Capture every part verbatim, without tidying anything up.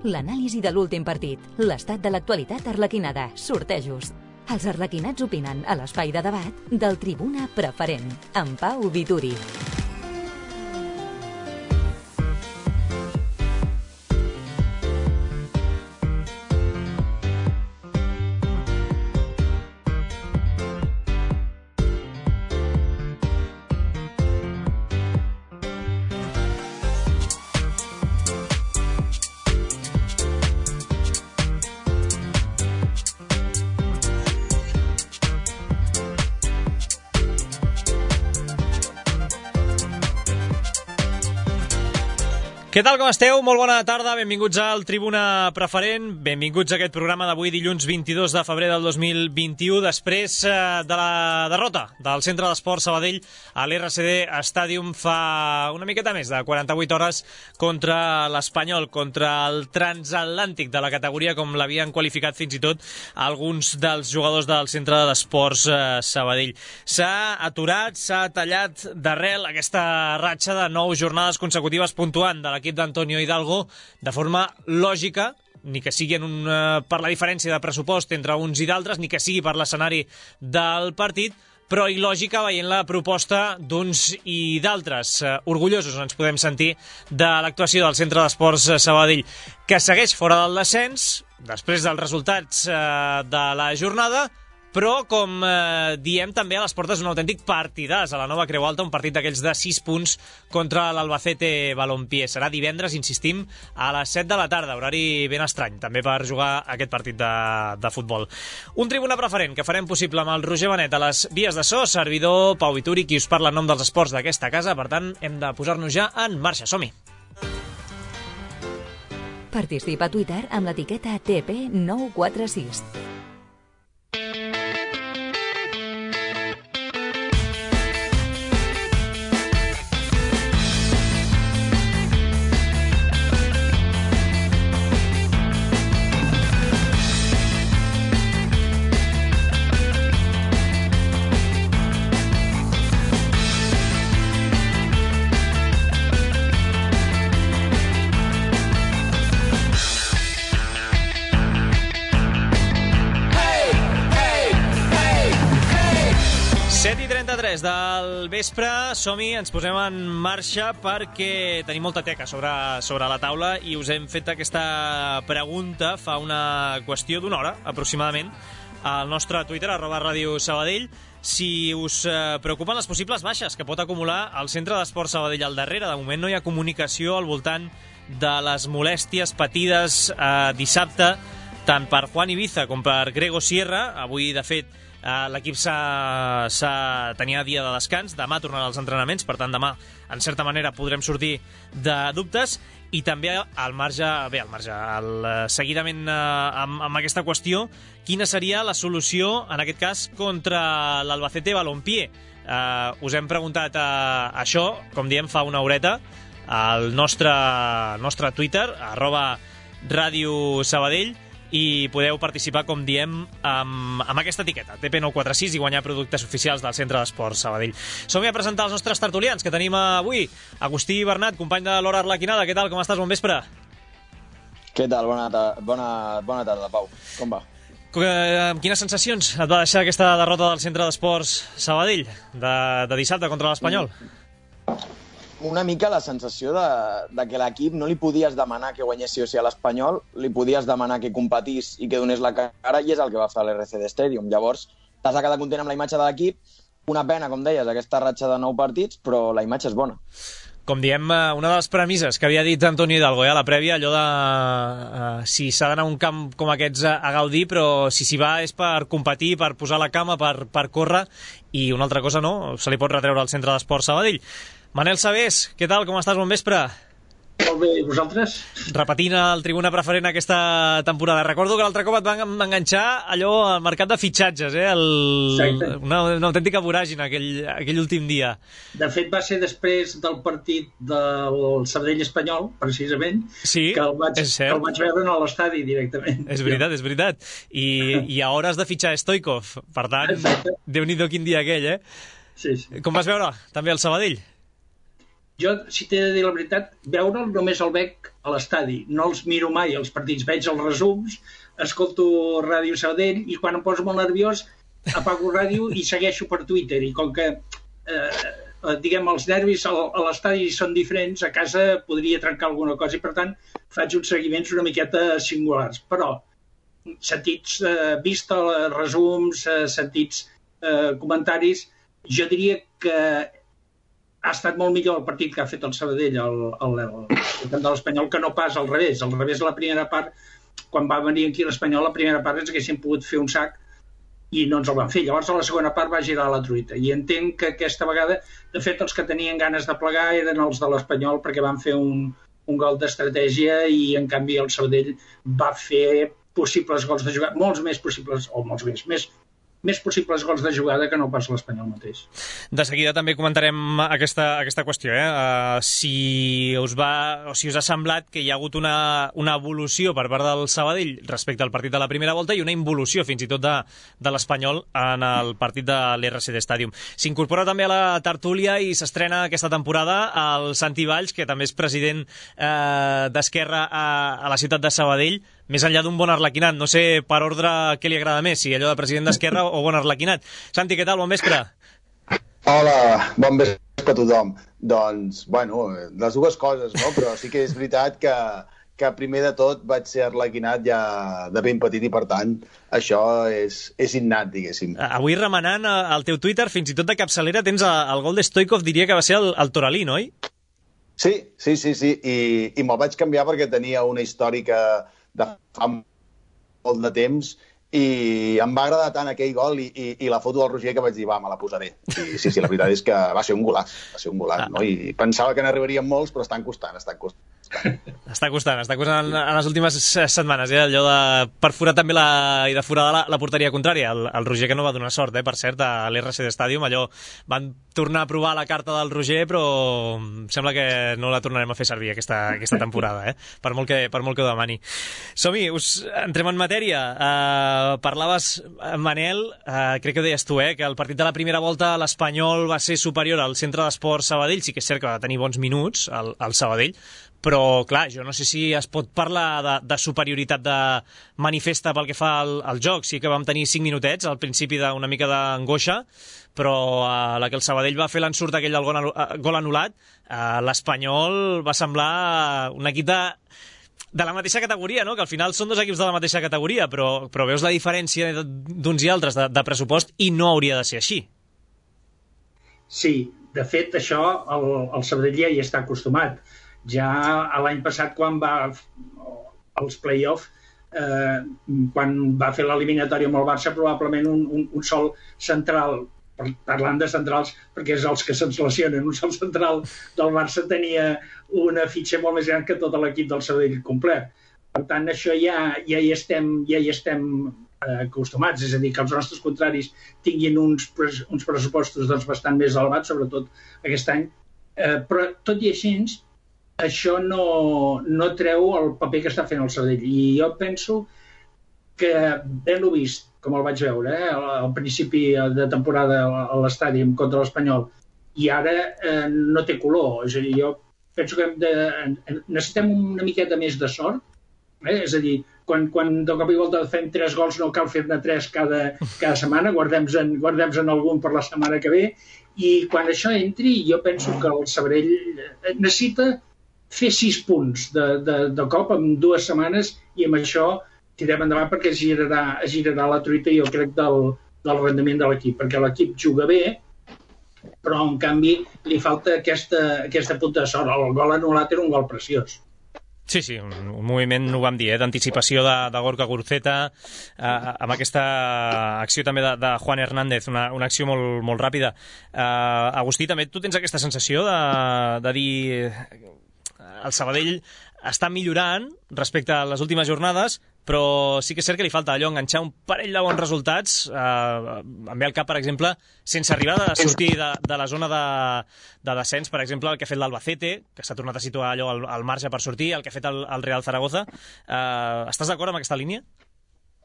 l'anàlisi de l'últim partit, l'estat de l'actualitat arlequinada, sortejos. Els arlequinats opinen a l'espai de debat del Tribuna Preferent, amb Pau Vituri. Què tal, com esteu? Molt bona tarda, benvinguts al Tribuna Preferent, benvinguts a aquest programa d'avui, dilluns vint-i-dos de febrer del dos mil vint-i-u, després eh, de la derrota del Centre d'Esports Sabadell a l'R C D Stadium fa una miqueta més de quaranta-vuit hores contra l'Espanyol, contra el transatlàntic de la categoria, com l'havien qualificat fins i tot alguns dels jugadors del Centre d'Esports eh, Sabadell. S'ha aturat, s'ha tallat d'arrel aquesta ratxa de nou jornades consecutives puntuant de la l'equip d'Antonio Hidalgo de forma lògica, ni que sigui en un, uh, per la diferència de pressupost entre uns i d'altres, ni que sigui per l'escenari del partit, però il·lògica veient la proposta d'uns i d'altres. Uh, orgullosos ens podem sentir de l'actuació del Centre d'Esports Sabadell, que segueix fora del descens, després dels resultats uh, de la jornada, però, com eh, diem, també a les portes d'un autèntic partidàs a la Nova Creu Alta, un partit d'aquells de sis punts contra l'Albacete Balompié. Serà divendres, insistim, a les set de la tarda, horari ben estrany, també per jugar aquest partit de, de futbol. Un Tribuna Preferent que farem possible amb el Roger Benet a les vies de so, servidor Pau Vituri, qui us parla en nom dels esports d'aquesta casa, per tant, hem de posar-nos ja en marxa. Som-hi! Participa a Twitter amb l'etiqueta T P nou quatre sis. Del vespre, som-hi, ens posem en marxa perquè tenim molta teca sobre, sobre la taula i us hem fet aquesta pregunta fa una qüestió d'una hora, aproximadament, al nostre Twitter, arroba Ràdio Sabadell, si us eh, preocupen les possibles baixes que pot acumular el Centre d'Esports Sabadell al darrere. De moment no hi ha comunicació al voltant de les molèsties patides eh, dissabte, tant per Juan Ibiza com per Grego Sierra. Avui, de fet, Uh, l'equip s'ha, s'ha, tenia dia de descans, demà tornaran als entrenaments, per tant demà en certa manera podrem sortir de dubtes, i també al marge, bé, al marge, al, uh, seguidament uh, amb, amb aquesta qüestió, quina seria la solució en aquest cas contra l'Albacete Balompié. Uh, us hem preguntat uh, això, com diem, fa una horeta al nostre, nostre Twitter, arroba Ràdio Sabadell, i podeu participar, com diem, amb, amb aquesta etiqueta, T P nou quatre sis, i guanyar productes oficials del Centre d'Esports Sabadell. Som-hi a presentar els nostres tertulians que tenim avui. Agustí Bernat, company de l'Hora Arlequinada. Què tal, com estàs? Bon vespre. Què tal? Bona, ta bona, bona tarda, Pau. Com va? Amb quines sensacions et va deixar aquesta derrota del Centre d'Esports Sabadell de, de dissabte contra l'Espanyol? Una mica la sensació de, de que l'equip no li podies demanar que guanyés sí o sí a l'Espanyol, li podies demanar que competís i que donés la cara, i és el que va fer l'R C D Stadium. Llavors, t'has de quedar content amb la imatge de l'equip. Una pena, com deies, aquesta ratxa de nou partits, però la imatge és bona. Com diem, una de les premisses que havia dit Antonio Hidalgo eh, a la prèvia, allò de uh, si s'ha d'anar a un camp com aquests a, a gaudir, però si s'hi va és per competir, per posar la cama, per, per córrer, i una altra cosa no, se li pot retreure al Centre d'Esports Sabadell. Manel Sabés, què tal, com estàs? Bon vespre. Molt bé, i vosaltres? Repetint el Tribuna Preferent aquesta temporada. Recordo que l'altre cop et van enganxar allò al mercat de fitxatges, eh? El... una, una autèntica voràgina aquell, aquell últim dia. De fet, va ser després del partit del Sabadell Espanyol, precisament, sí, que, el vaig, que el vaig veure a l'estadi directament. És veritat, és veritat. I, i a hores de fitxar Stoikov. Per tant, Déu-n'hi-do quin dia aquell, eh? Sí, sí. Com vas veure també el Sabadell? Jo, si t'he de dir la veritat, veure'l només el veig a l'estadi. No els miro mai, els partits. Veig els resums, escolto Ràdio Sabadell i quan em poso molt nerviós apago ràdio i segueixo per Twitter. I com que, eh, diguem, els nervis a l'estadi són diferents, a casa podria trencar alguna cosa i, per tant, faig uns seguiments una miqueta singulars. Però, sentits, eh, vist resums, eh, sentits eh, comentaris, jo diria que ha estat molt millor el partit que ha fet el Sabadell al, al, al camp de l'Espanyol que no pas al revés. Al revés, la primera part, quan va venir aquí l'Espanyol, la primera part ens haguéssim pogut fer un sac i no ens el van fer. Llavors, a la segona part va girar la truita. I entenc que aquesta vegada, de fet, els que tenien ganes de plegar eren els de l'Espanyol perquè van fer un, un gol d'estratègia i, en canvi, el Sabadell va fer possibles gols de jugada, molts més possibles, o molts més, més més possibles gols de jugada que no pas l'Espanyol mateix. De seguida també comentarem aquesta, aquesta qüestió, eh? Uh, si us va, o si us ha semblat que hi ha hagut una, una evolució per part del Sabadell respecte al partit de la primera volta i una involució fins i tot de, de l'Espanyol en el partit de l'R C D Stadium. S'incorpora també a la tertúlia i s'estrena aquesta temporada el Santi Valls, que també és president eh, d'Esquerra a, a la ciutat de Sabadell. Més enllà d'un bon arlequinat, no sé per ordre què li agrada més, si allò de president d'Esquerra o bon arlequinat. Santi, què tal? Bon vespre. Hola, bon vespre a tothom. Doncs, bueno, les dues coses, no? Però sí que és veritat que, que primer de tot vaig ser arlequinat ja de ben petit i, per tant, això és, és innat, diguéssim. Avui remenant al teu Twitter, fins i tot de capçalera, tens el gol de Stoikov, diria que va ser el, el Toralí, no? Sí, sí, sí, sí. I, i me'l vaig canviar perquè tenia una històrica de fa molt de temps i em va agradar tant aquell gol i, i, i la foto del Roger que vaig dir, va, me la posaré. I, sí, sí, la veritat és que va ser un golaç, va ser un golaç, ah. no? I pensava que n'arribarien molts, però estan costant, estan costant. Està costant, està costant en, en les últimes setmanes, eh? Allò de perforar també la, i de forar la, la porteria contrària. El, el Roger que no va donar sort, eh? Per cert, a l'R C D Stadium, allò van tornar a provar la carta del Roger, però sembla que no la tornarem a fer servir aquesta, aquesta temporada, eh? Per molt que, per molt que ho demani. Som-hi, us entrem en matèria. Uh, parlaves, Manel, uh, crec que ho deies tu, eh? Que el partit de la primera volta l'Espanyol va ser superior al Centre d'Esports Sabadell, sí que és cert que va tenir bons minuts al, al Sabadell, però, clar, jo no sé si es pot parlar de, de superioritat de manifesta pel que fa al, al joc. Sí que vam tenir cinc minutets al principi d'una mica d'angoixa, però a la que el Sabadell va fer l'ensurt aquell del gol, gol anul·lat, l'Espanyol va semblar un equip de, de la mateixa categoria, no? Que al final són dos equips de la mateixa categoria, però, però veus la diferència d'uns i altres de, de pressupost i no hauria de ser així. Sí, de fet, això el, el Sabadell ja hi està acostumat. Ja l'any passat, quan va als play-off, eh, quan va fer l'eliminatòria amb el Barça, probablement un, un, un sol central, parlant de centrals, perquè és els que se'ns lesionen, un sol central del Barça tenia una fitxa molt més gran que tot l'equip del Sabadell complet. Per tant, això ja, ja hi estem, ja hi estem eh, acostumats, és a dir, que els nostres contraris tinguin uns, uns pressupostos doncs, bastant més elevats, sobretot aquest any, eh, però tot i així, això no, no treu el paper que està fent el Sabadell. I jo penso que ben-ho vist, com el vaig veure, eh, al principi de temporada a l'estadi contra l'Espanyol, i ara eh, no té color. És a dir, jo penso que hem de, necessitem una miqueta més de sort. Eh? És a dir, quan, quan de cop i volta fem tres gols no cal fer-ne tres cada, cada setmana, guardem-en guardem algun per la setmana que ve, i quan això entri, jo penso que el Sabadell necessita fer sis punts de, de, de cop en dues setmanes i amb això tirem endavant perquè es girarà, es girarà la truita, jo crec, del, del rendiment de l'equip, perquè l'equip juga bé, però en canvi li falta aquesta, aquesta punta de sort. El gol anul·lat era un gol preciós. Sí, sí, un, un moviment, ho vam dir, eh, d'anticipació de, de Gorka Guruceta, eh, amb aquesta acció també de, de Juan Hernández, una, una acció molt, molt ràpida. Eh, Agustí, també tu tens aquesta sensació de, de dir el Sabadell està millorant respecte a les últimes jornades, però sí que és cert que li falta allò, enganxar un parell de bons resultats. Eh, em ve al cap, per exemple, sense arribar a sortir de, de la zona de, de descens, per exemple, el que ha fet l'Albacete, que s'ha tornat a situar allò al, al marge per sortir, el que ha fet el, el Real Zaragoza. Eh, estàs d'acord amb aquesta línia?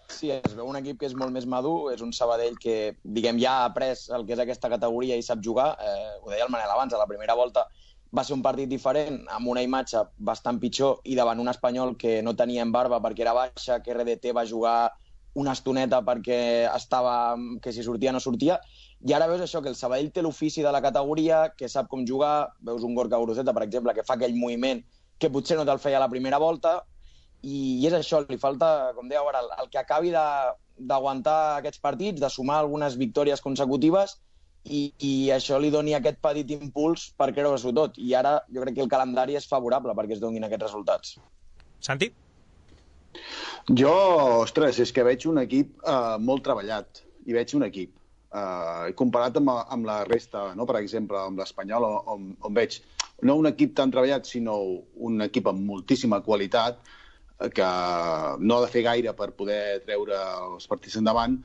Sí, es veu un equip que és molt més madur, és un Sabadell que, diguem, ja ha après el que és aquesta categoria i sap jugar. Eh, ho deia el Manel abans, a la primera volta va ser un partit diferent, amb una imatge bastant pitjor i davant un Espanyol que no tenia en barba perquè era baixa, que R D T va jugar una estoneta perquè estava, que si sortia no sortia, i ara veus això, que el Sabadell té l'ofici de la categoria, que sap com jugar, veus un Gorka Guruceta, per exemple, que fa aquell moviment que potser no te'l feia a la primera volta, i, i és això, li falta, com dèieu ara, el, el que acabi d'aguantar aquests partits, de sumar algunes victòries consecutives, i, i això li doni aquest petit impuls per creure-s'ho tot. I ara jo crec que el calendari és favorable perquè es donin aquests resultats. Santi? Jo, ostres, és que veig un equip eh, molt treballat, i veig un equip. Eh, comparat amb, amb la resta, no? Per exemple, amb l'Espanyol, on, on veig no un equip tan treballat, sinó un equip amb moltíssima qualitat, eh, que no ha de fer gaire per poder treure els partits endavant.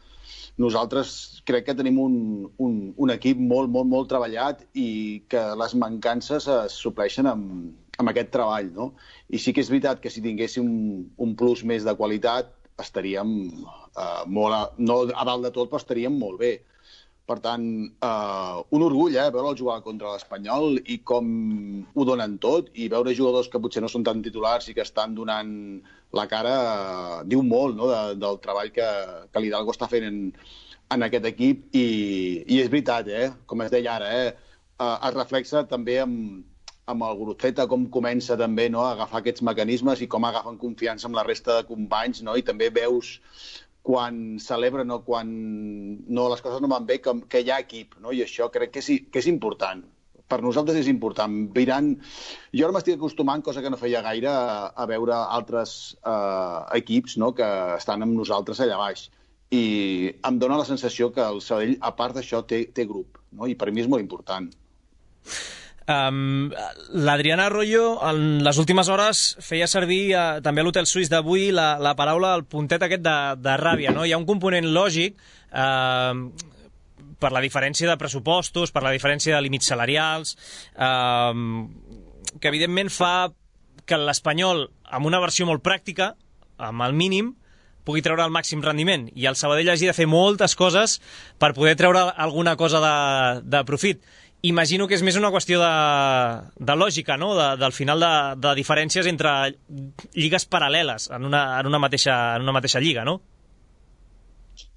Nosaltres crec que tenim un, un, un equip molt, molt, molt treballat i que les mancances es supleixen amb, amb aquest treball, no? I sí que és veritat que si tinguéssim un, un plus més de qualitat estaríem eh, molt a, no a dalt de tot, però estaríem molt bé. Per tant, eh, un orgull, eh, veure'l jugar contra l'Espanyol i com ho donen tot, i veure jugadors que potser no són tan titulars i que estan donant la cara, eh, diu molt, no?, de, del treball que, que l'Hidalgo està fent en, en aquest equip, i, i és veritat, eh, com es deia ara, eh, eh, es reflexa també amb, amb el Guruceta, com comença també, no?, a agafar aquests mecanismes i com agafen confiança amb la resta de companys, no?, i també veus quan celebren o quan no, les coses no van bé, que, que hi ha equip, no? I això crec que és, que és important. Per nosaltres és important. Viran... Jo ara m'estic acostumant, cosa que no feia gaire, a, a veure altres eh, equips, no?, que estan amb nosaltres allà baix. I em dóna la sensació que el Sabadell, a part d'això, té, té grup, no? I per mi és molt important. Um, L'Adriana Arroyo en les últimes hores feia servir uh, també a l'Hotel Suís d'avui la, la paraula, el puntet aquest de, de ràbia, no? Hi ha un component lògic uh, per la diferència de pressupostos, per la diferència de límits salarials, uh, que evidentment fa que l'Espanyol, amb una versió molt pràctica, amb el mínim, pugui treure el màxim rendiment, i el Sabadell hagi de fer moltes coses per poder treure alguna cosa de, de profit. Imagino que és més una qüestió de, de lògica, no?, de, del final de, de diferències entre lligues paral·leles en una, en una, mateixa, en una mateixa lliga, no?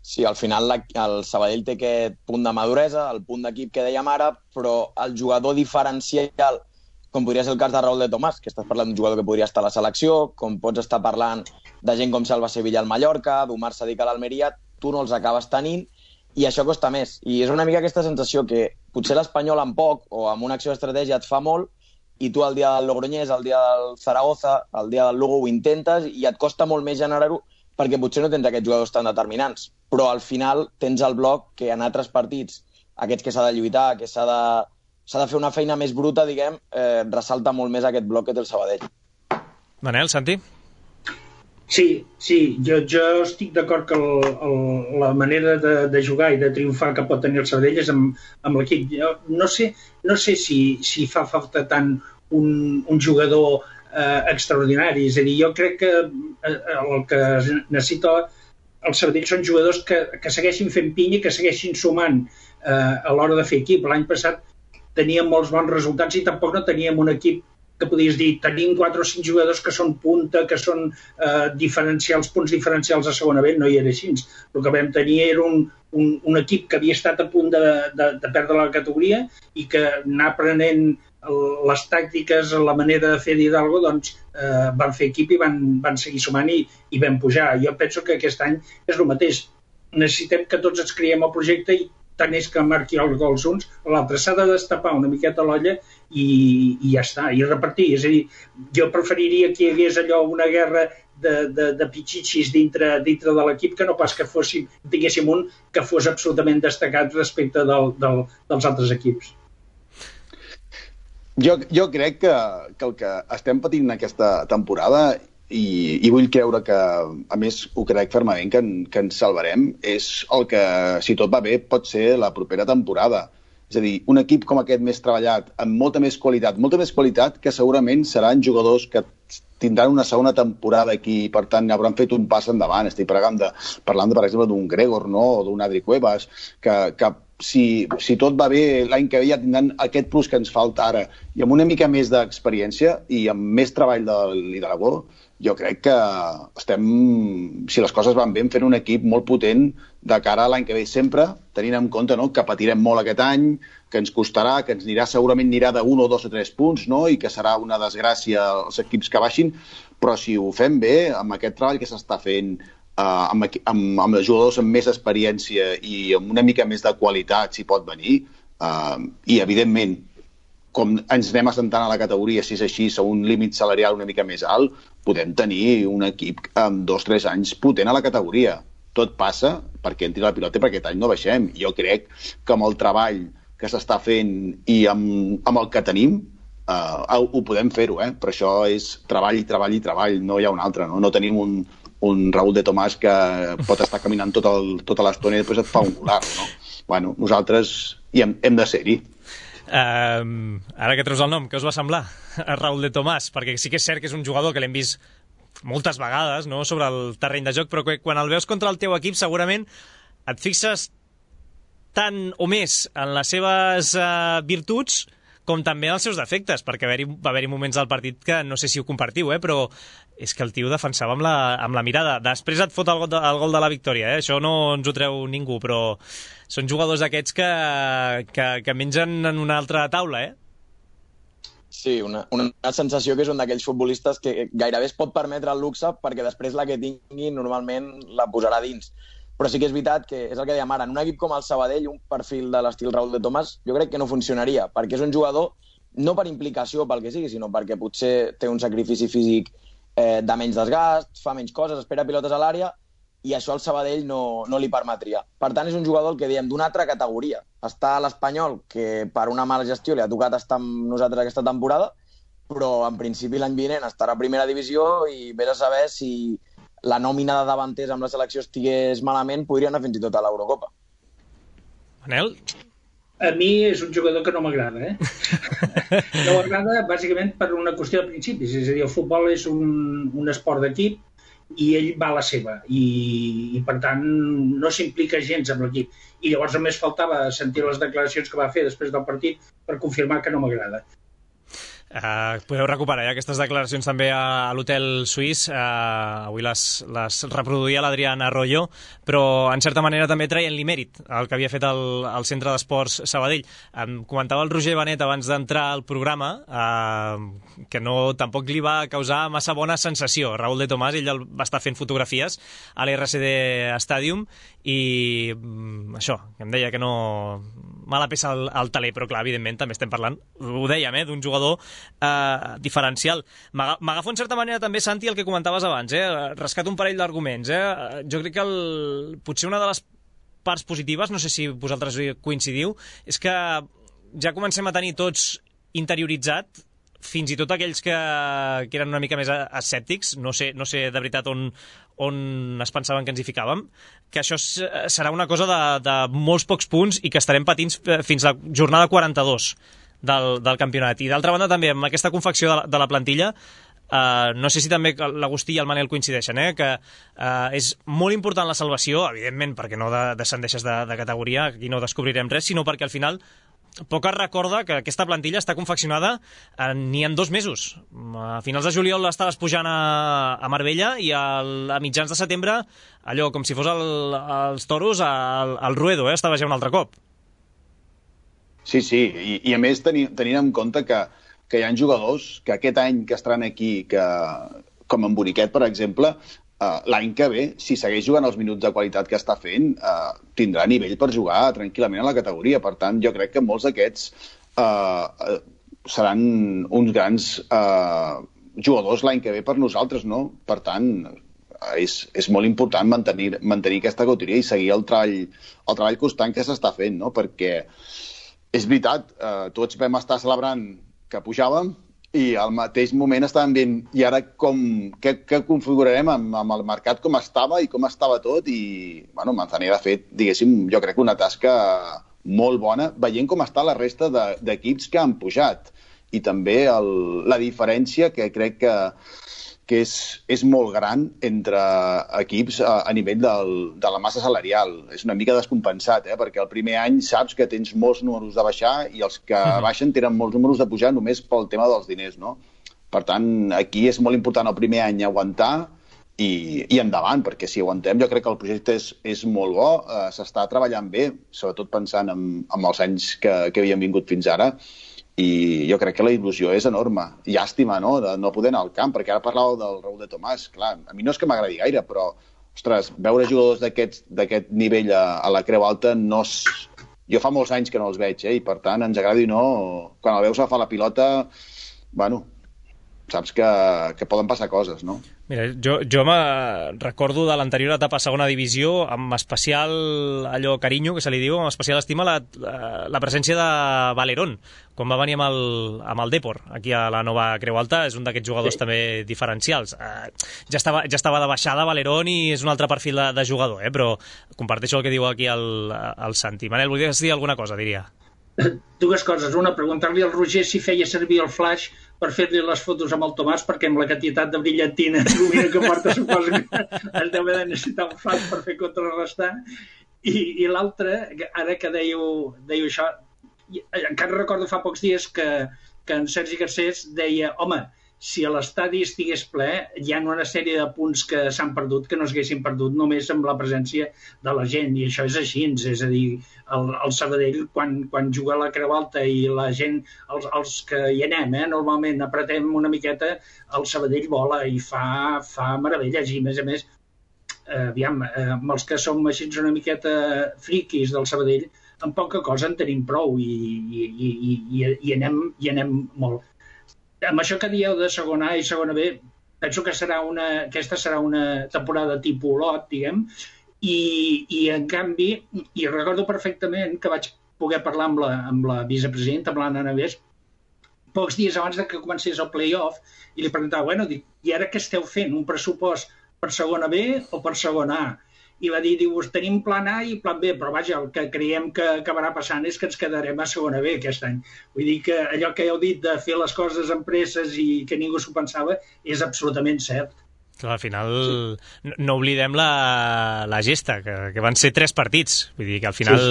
Sí, al final la, el Sabadell té aquest punt de maduresa, el punt d'equip que dèiem ara, però el jugador diferencial, com podria ser el cas de Raúl de Tomàs, que estàs parlant d'un jugador que podria estar a la selecció, com pots estar parlant de gent com Salva Sevilla al Mallorca, d'Omar Sadik a l'Almeria, tu no els acabes tenint, i això costa més. I és una mica aquesta sensació que potser l'Espanyol amb poc o amb una acció d'estratègia et fa molt, i tu el dia del Logroñés, el dia del Zaragoza, el dia del Lugo ho intentes i et costa molt més generar-ho perquè potser no tens aquests jugadors tan determinants. Però al final tens el bloc que en altres partits, aquests que s'ha de lluitar, que s'ha de, s'ha de fer una feina més bruta, diguem, eh, ressalta molt més aquest bloc que té el Sabadell. Manel, Santi? Sí, sí, jo, jo estic d'acord que el, el, la manera de, de jugar i de triomfar que pot tenir el Sabadell és amb, amb l'equip. No sé, no sé si, si fa falta tant un, un jugador eh, extraordinari, és a dir, jo crec que eh, el que necessita el Sabadell són jugadors que, que segueixin fent pinya i que segueixin sumant eh, a l'hora de fer equip. L'any passat teníem molts bons resultats i tampoc no teníem un equip que podies dir, tenim quatre o cinc jugadors que són punta, que són eh, diferencials, punts diferencials a segona B, no hi era així. El que vam tenir era un, un, un equip que havia estat a punt de, de, de perdre la categoria i que anar aprenent les tàctiques, la manera de fer d'Hidalgo, doncs eh, van fer equip i van, van seguir sumant i, i vam pujar. Jo penso que aquest any és el mateix. Necessitem que tots ens creiem el projecte i tant és que marqui els gols uns, l'altre s'ha de destapar una miqueta l'olla i, i ja està, i repartir. És a dir, jo preferiria que hi hagués allò una guerra de, de, de pitxitxis dintre, dintre de l'equip que no pas que fóssim, tinguéssim un que fos absolutament destacat respecte del, del, dels altres equips. Jo, jo crec que, que el que estem patint aquesta temporada, i, i vull creure que, a més, ho crec fermament que, en, que ens salvarem, és el que, si tot va bé, pot ser la propera temporada. És a dir, un equip com aquest més treballat, amb molta més qualitat, molta més qualitat que segurament seran jugadors que tindran una segona temporada aquí i, per tant, hauran fet un pas endavant. Estic parlant, de, parlant de, per exemple, d'un Gregor, no?, o d'un Adri Cuevas, que, que si, si tot va bé, l'any que ve ja tindran aquest plus que ens falta ara, i amb una mica més d'experiència i amb més treball de lideratge, jo crec que estem, si les coses van bé, fent un equip molt potent de cara a l'any que ve, sempre tenint en compte, no?, que patirem molt aquest any, que ens costarà, que ens anirà, segurament anirà d'un o dos o tres punts, no?, i que serà una desgràcia els equips que baixin, però si ho fem bé, amb aquest treball que s'està fent, Uh, amb, amb, amb els jugadors amb més experiència i amb una mica més de qualitat, si pot venir, uh, i evidentment, com ens anem assentant a la categoria, si és així, a un límit salarial una mica més alt, podem tenir un equip amb dos o tres anys potent a la categoria. Tot passa perquè entri la pilota i perquè aquest any no baixem. Jo crec que amb el treball que s'està fent i amb, amb el que tenim, uh, ho podem fer-ho, eh? Però això és treball i treball i treball, no hi ha un altre, no? No tenim un un Raúl de Tomàs que pot estar caminant tot el, tota l'estona i després et fa un volar, no? Bueno, nosaltres hi hem, hem de ser-hi. Uh, ara que treus el nom, què us va semblar a Raúl de Tomàs? Perquè sí que és cert que és un jugador que l'hem vist moltes vegades, no?, sobre el terreny de joc, però quan el veus contra el teu equip segurament et fixes tant o més en les seves uh, virtuts com també els seus defectes, perquè va haver-hi, va haver-hi moments del partit que no sé si ho compartiu, eh, però és que el tio defensava amb la, amb la mirada. Després et fot el gol de, el gol de la victòria, eh? Això no ens ho treu ningú, però són jugadors d'aquests que, que, que mengen en una altra taula, eh? Sí, una, una sensació que és un d'aquells futbolistes que gairebé es pot permetre el luxe perquè després la que tingui normalment la posarà dins. Però sí que és veritat que és el que dèiem ara, en un equip com el Sabadell, un perfil de l'estil Raúl de Tomàs, jo crec que no funcionaria, perquè és un jugador, no per implicació pel que sigui, sinó perquè potser té un sacrifici físic eh, de menys desgast, fa menys coses, espera pilotes a l'àrea, i això al Sabadell no, no li permetria. Per tant, és un jugador que diem d'una altra categoria. Està a l'Espanyol, que per una mala gestió li ha tocat estar amb nosaltres aquesta temporada, però en principi l'any vinent estarà a primera divisió i vés a saber si la nòmina de davanters amb la selecció estigués malament, podria anar fins i tot a l'Eurocopa. Manel? A mi és un jugador que no m'agrada, eh? No m'agrada bàsicament per una qüestió de principis, és a dir, el futbol és un, un esport d'equip i ell va a la seva i, i per tant no s'implica gens amb l'equip. I llavors només faltava sentir les declaracions que va fer després del partit per confirmar que no m'agrada. Uh, podeu recuperar ja aquestes declaracions també a, a l'hotel suís. Uh, avui les, les reproduïa l'Adrián Arroyo, però en certa manera també traient-li mèrit el que havia fet el, el Centre d'Esports Sabadell. Um, comentava el Roger Benet abans d'entrar al programa uh, que no, tampoc li va causar massa bona sensació. Raúl de Tomàs, ell va estar fent fotografies a l'R C D Stadium i um, això, que em deia que no... mala peça al, al taler, però clar, evidentment també estem parlant, ho dèiem, eh, d'un jugador eh, diferencial. M'agafo en certa manera també, Santi, el que comentaves abans, eh? Rescato un parell d'arguments. Eh? Jo crec que el, potser una de les parts positives, no sé si vosaltres coincidiu, és que ja comencem a tenir tots interioritzat, fins i tot aquells que, que eren una mica més escèptics, no sé, no sé de veritat on, on es pensaven que ens hi ficàvem, que això serà una cosa de, de molts pocs punts i que estarem patint fins a la jornada quaranta-dos del, del campionat. I d'altra banda també, amb aquesta confecció de la, de la plantilla, Uh, no sé si també l'Agustí i el Manel coincideixen, eh? que uh, és molt important la salvació, evidentment perquè no de, descendeixes de, de categoria, aquí no descobrirem res, sinó perquè al final poc es recorda que aquesta plantilla està confeccionada en, ni en dos mesos. A finals de juliol estaves pujant a, a Marbella i al, a mitjans de setembre, allò com si fos el, els toros al, al Ruedo, eh? Estava ja un altre cop. Sí, sí, i, i a més tenint, tenint en compte que que hi ha jugadors que aquest any que estaran aquí, que, com en Boniquet, per exemple, uh, l'any que ve, si segueix jugant els minuts de qualitat que està fent, uh, tindrà nivell per jugar tranquil·lament a la categoria. Per tant, jo crec que molts d'aquests uh, seran uns grans uh, jugadors l'any que ve per nosaltres, no? Per tant, és, és molt important mantenir, mantenir aquesta categoria i seguir el treball, el treball constant que s'està fent, no? Perquè és veritat, uh, tots vam estar celebrant que pujàvem i al mateix moment estàvem veient i ara com, què, què configurarem amb, amb el mercat, com estava i com estava tot i, bueno, Manzanera ha fet, diguéssim, jo crec una tasca molt bona, veient com està la resta d'equips de, que han pujat i també el, la diferència que crec que, que és, és molt gran entre equips a, a nivell del, de la massa salarial. És una mica descompensat, eh? Perquè el primer any saps que tens molts números de baixar i els que uh-huh. baixen tenen molts números de pujar només pel tema dels diners, no? Per tant, aquí és molt important el primer any aguantar i, i endavant, perquè si aguantem jo crec que el projecte és, és molt bo, eh, s'està treballant bé, sobretot pensant en, en els anys que, que havíem vingut fins ara, i jo crec que la il·lusió és enorme. Llàstima, no?, de no poder anar al camp, perquè ara parlàveu del Raúl de Tomàs. Clar, a mi no és que m'agradi gaire, però, ostres, veure jugadors d'aquest nivell a, a la Creu Alta no és... Jo fa molts anys que no els veig, eh? I per tant, ens agradi o no, quan el veus agafar la pilota, bueno, saps que, que poden passar coses, no? Mira, jo, jo me recordo de l'anterior etapa a segona divisió amb especial allò carinyo, que se li diu, amb especial estima la, la presència de Valerón, quan va venir amb el, amb el Depor, aquí a la nova Creu Alta. És un d'aquests jugadors sí. també diferencials. Uh, ja, estava, ja estava de baixada Valerón i és un altre perfil de, de jugador, eh? Però comparteixo el que diu aquí el, el Santi. Manel, volies dir alguna cosa, diria? Dues coses. Una, preguntar-li al Roger si feia servir el flash per fer-li les fotos amb el Tomàs, perquè amb la quantitat de brillantina llumina que porta suposo que es deu haver de necessitar un flash per fer contrarrestar. I, i l'altra, ara que dèieu, dèieu això, encara recordo fa pocs dies que, que en Sergi Garcés deia, home, si a l'estadi estigués ple, hi ha una sèrie de punts que s'han perdut que no s'haguessin perdut només amb la presència de la gent, i això és així, és a dir, el, el Sabadell, quan, quan juga a la Creu Alta i la gent, els, els que hi anem, eh, normalment apretem una miqueta, el Sabadell vola i fa, fa meravelles, i a més a més, eh, aviam, eh, amb els que som així una miqueta friquis del Sabadell, amb poca cosa en tenim prou i, i, i, i, i, anem, i anem molt. Amb això que dieu de segona A i segona B, penso que serà una, aquesta serà una temporada tipus Olot, diguem, i, i en canvi, i recordo perfectament que vaig poder parlar amb la, amb la vicepresidenta, amb l'Anna Navés, pocs dies abans de que comencés el play-off, i li preguntava, bueno, dic, i ara què esteu fent? Un pressupost per segona B o per segona A? I va dir, diu, tenim plan A i plan B, però vaja, el que creiem que acabarà passant és que ens quedarem a segona B aquest any. Vull dir que allò que heu dit de fer les coses amb presses i que ningú s'ho pensava és absolutament cert. Clar, al final sí. no oblidem la, la gesta, que, que van ser tres partits. Vull dir que al final sí,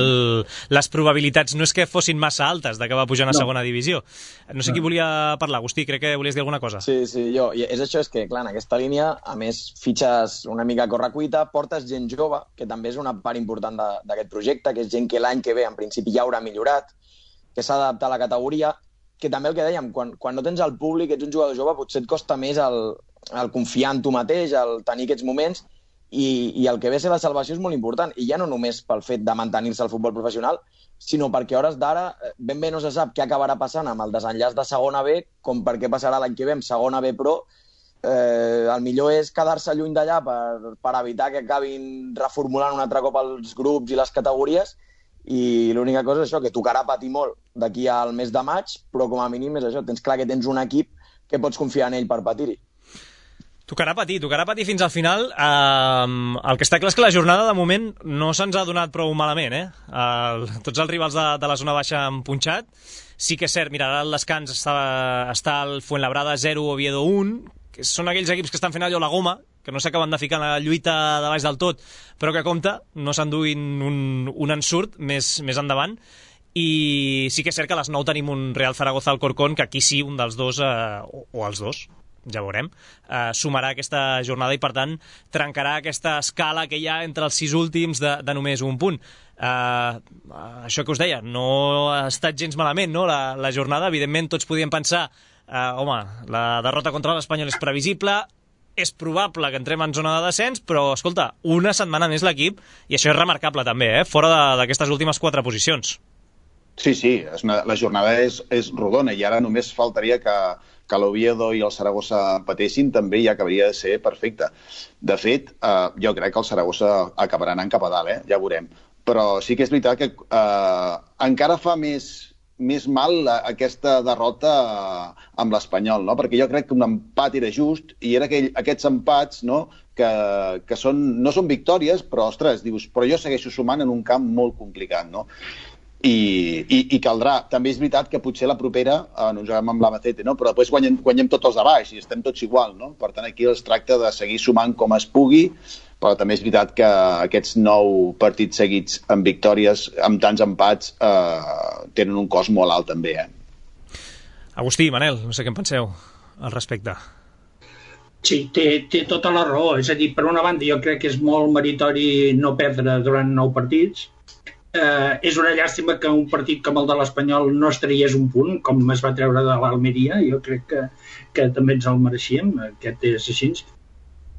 sí. les probabilitats no és que fossin massa altes d'acabar pujant a no. segona divisió. No sé no. qui volia parlar. Agustí, crec que volies dir alguna cosa. Sí, sí, jo. I és això, és que, clar, en aquesta línia, a més, fitxes una mica a correcuita, portes gent jove, que també és una part important d'aquest projecte, que és gent que l'any que ve, en principi, ja haurà millorat, que s'ha d'adaptar a la categoria, que també el que dèiem, quan, quan no tens el públic, ets un jugador jove, potser et costa més el, el confiar en tu mateix, el tenir aquests moments, i, i el que ve a ser la salvació és molt important, i ja no només pel fet de mantenir-se al futbol professional, sinó perquè a hores d'ara ben bé no se sap què acabarà passant amb el desenllaç de segona B, com per què passarà l'any que ve amb segona B Pro. Eh, el millor és quedar-se lluny d'allà per, per evitar que acabin reformulant un altre cop els grups i les categories, i l'única cosa és això, que tocarà patir molt d'aquí al mes de maig, però com a mínim és això, tens clar que tens un equip que pots confiar en ell per patir-hi. Tocarà patir, tocarà patir fins al final. Uh, el que està clar és que la jornada de moment no se'ns ha donat prou malament, eh? Uh, tots els rivals de, de la zona baixa han punxat. Sí que és cert, mira, ara el descans està, està el Fuenlabrada zero, Oviedo un, que són aquells equips que estan fent allò la goma, que no s'acaben de ficar en la lluita de baix del tot, però que compta, no s'enduïn un, un ensurt més, més endavant. I sí que és cert que a les nou tenim un Real Zaragoza-Alcorcón, que aquí sí, un dels dos, eh, o, o els dos, ja veurem, eh, sumarà aquesta jornada i, per tant, trencarà aquesta escala que hi ha entre els sis últims de, de només un punt. Eh, això que us deia, no ha estat gens malament, no?, la, la jornada. Evidentment, tots podíem pensar, eh, home, la derrota contra l'Espanyol és previsible, és probable que entrem en zona de descens, però, escolta, una setmana més l'equip, i això és remarcable també, eh, fora d'aquestes últimes quatre posicions. Sí, sí, és una, la jornada és, és rodona, i ara només faltaria que, que l'Oviedo i el Saragossa empatessin, també ja acabaria de ser perfecte. De fet, eh, jo crec que el Saragossa acabarà anant cap a dalt, eh? Ja veurem. Però sí que és veritat que eh, encara fa més, més mal aquesta derrota amb l'Espanyol, no? Perquè jo crec que un empat era just, i era aquell, aquests empats, no?, que, que són, no són victòries, però, ostres, dius, però jo segueixo sumant en un camp molt complicat, no? i, i, i caldrà. També és veritat que potser la propera eh, no juguem amb l'Albacete, no? Però després guanyem, guanyem tots els de baix i estem tots igual, no? Per tant, aquí es tracta de seguir sumant com es pugui, però també és veritat que aquests nou partits seguits amb victòries, amb tants empats, eh, tenen un cost molt alt també, eh? Agustí, Manel, no sé què en penseu al respecte. Sí, té, té tota la raó. És a dir, per una banda, jo crec que és molt meritori no perdre durant nou partits. Eh, és una llàstima que un partit com el de l'Espanyol no es traiés un punt, com es va treure de l'Almeria. Jo crec que, que també ens el mereixíem, aquest és així.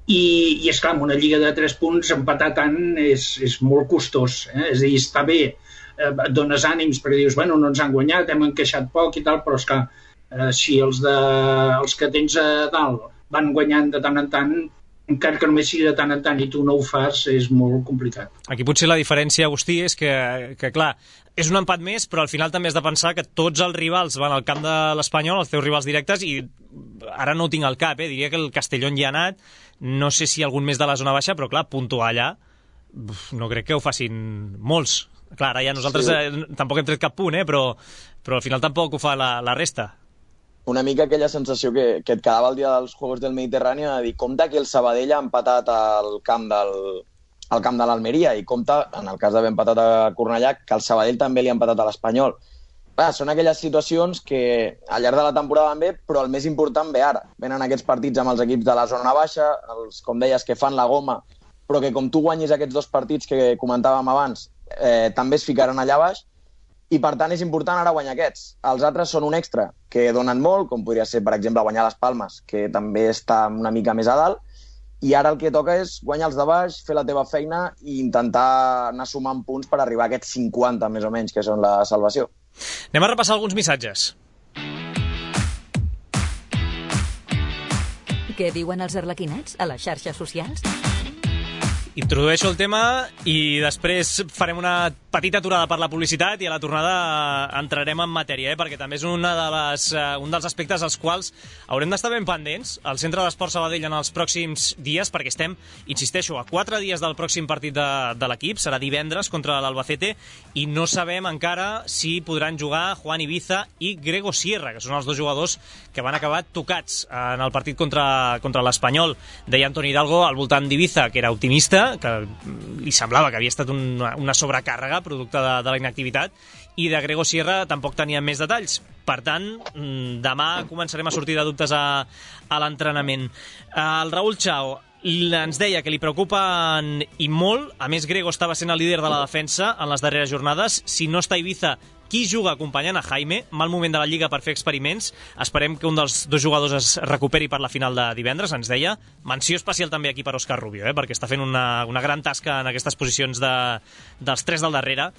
I, i és clar, amb una lliga de tres punts, empatar tant és, és molt costós. Eh? És a dir, està bé, eh, et dones ànims perquè dius, bueno, no ens han guanyat, hem encaixat poc i tal, però és clar, eh, si els, de, els que tens a dalt van guanyant de tant en tant, encara que només sigui de tant en tant i tu no ho fas, és molt complicat. Aquí potser la diferència, Agustí, és que, que clar, és un empat més, però al final també has de pensar que tots els rivals van al camp de l'Espanyol, els teus rivals directes, i ara no ho tinc al cap, eh? Diria que el Castellón hi ha anat, no sé si algun més de la zona baixa, però clar, puntuar allà, no crec que ho facin molts. Clar, ara ja nosaltres sí. eh, tampoc hem tret cap punt, eh? però, però al final tampoc ho fa la, la resta. Una mica aquella sensació que, que et quedava el dia dels Juegos del Mediterrani de dir, compte que el Sabadell ha empatat al camp del, al camp de l'Almeria i compte, en el cas d'haver empatat a Cornellà, que el Sabadell també li ha empatat a l'Espanyol. Clar, són aquelles situacions que al llarg de la temporada van bé, però el més important ve ara. Venen aquests partits amb els equips de la zona baixa, els, com deies, que fan la goma, però que com tu guanyis aquests dos partits que comentàvem abans, eh, també es ficaran allà baix, i per tant és important ara guanyar aquests. Els altres són un extra, que donen molt, com podria ser, per exemple, guanyar les Palmes, que també està una mica més a dalt, i ara el que toca és guanyar els de baix, fer la teva feina i intentar anar sumant punts per arribar a aquests cinquanta, més o menys, que són la salvació. Anem a repassar alguns missatges. Què diuen els arlequinats a les xarxes socials? Introdueixo el tema i després farem una petita aturada per la publicitat i a la tornada entrarem en matèria, eh? Perquè també és una de les, uh, un dels aspectes als quals haurem d'estar ben pendents al Centre d'Esport Sabadell en els pròxims dies, perquè estem, insisteixo, a quatre dies del pròxim partit de, de l'equip, serà divendres contra l'Albacete, i no sabem encara si podran jugar Juan Ibiza i Grego Sierra, que són els dos jugadors que van acabar tocats en el partit contra, contra l'Espanyol. Deia Antoni Hidalgo al voltant d'Ibiza, que era optimista, que li semblava que havia estat una, una sobrecàrrega producte de, de la inactivitat, i de Grego Sierra tampoc tenia més detalls. Per tant, demà començarem a sortir de dubtes a, a l'entrenament. El Raúl Chao ens deia que li preocupen i molt, a més Grego estava sent el líder de la defensa en les darreres jornades. Si no està Ibiza, qui juga acompanyant a Jaime? Mal moment de la Lliga per fer experiments. Esperem que un dels dos jugadors es recuperi per la final de divendres, ens deia. Menció especial també aquí per Òscar Rubio, eh? Perquè està fent una, una gran tasca en aquestes posicions de, dels tres del darrere.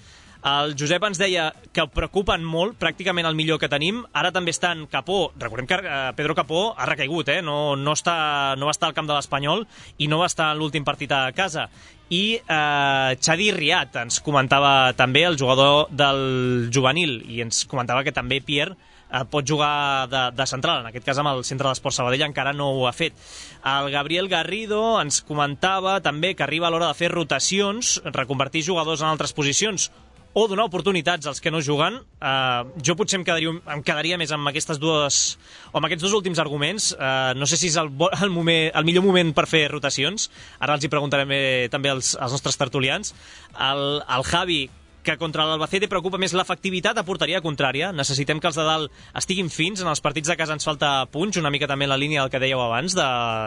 El Josep ens deia que preocupen molt, pràcticament el millor que tenim. Ara també estan Capó. Recordem que Pedro Capó ha recaigut, eh? no, no, està, no va estar al camp de l'Espanyol i no va estar en l'últim partit a casa. I eh, Xadi Riat ens comentava també, el jugador del juvenil, i ens comentava que també Pierre eh, pot jugar de, de central, en aquest cas amb el Centre d'Esport Sabadell encara no ho ha fet. El Gabriel Garrido ens comentava també que arriba a l'hora de fer rotacions, reconvertir jugadors en altres posicions o donar oportunitats als que no juguen. Uh, jo potser em quedaria, em quedaria més amb aquestes dues, o amb aquests dos últims arguments. Uh, no sé si és el, el, moment, el millor moment per fer rotacions. Ara els hi preguntarem eh, també als, als nostres tertulians. El, el Javi, que contra l'Albacete preocupa més l'efectivitat a porteria contrària. Necessitem que els de dalt estiguin fins. En els partits de casa ens falta punx, una mica també en la línia del que dèieu abans, de,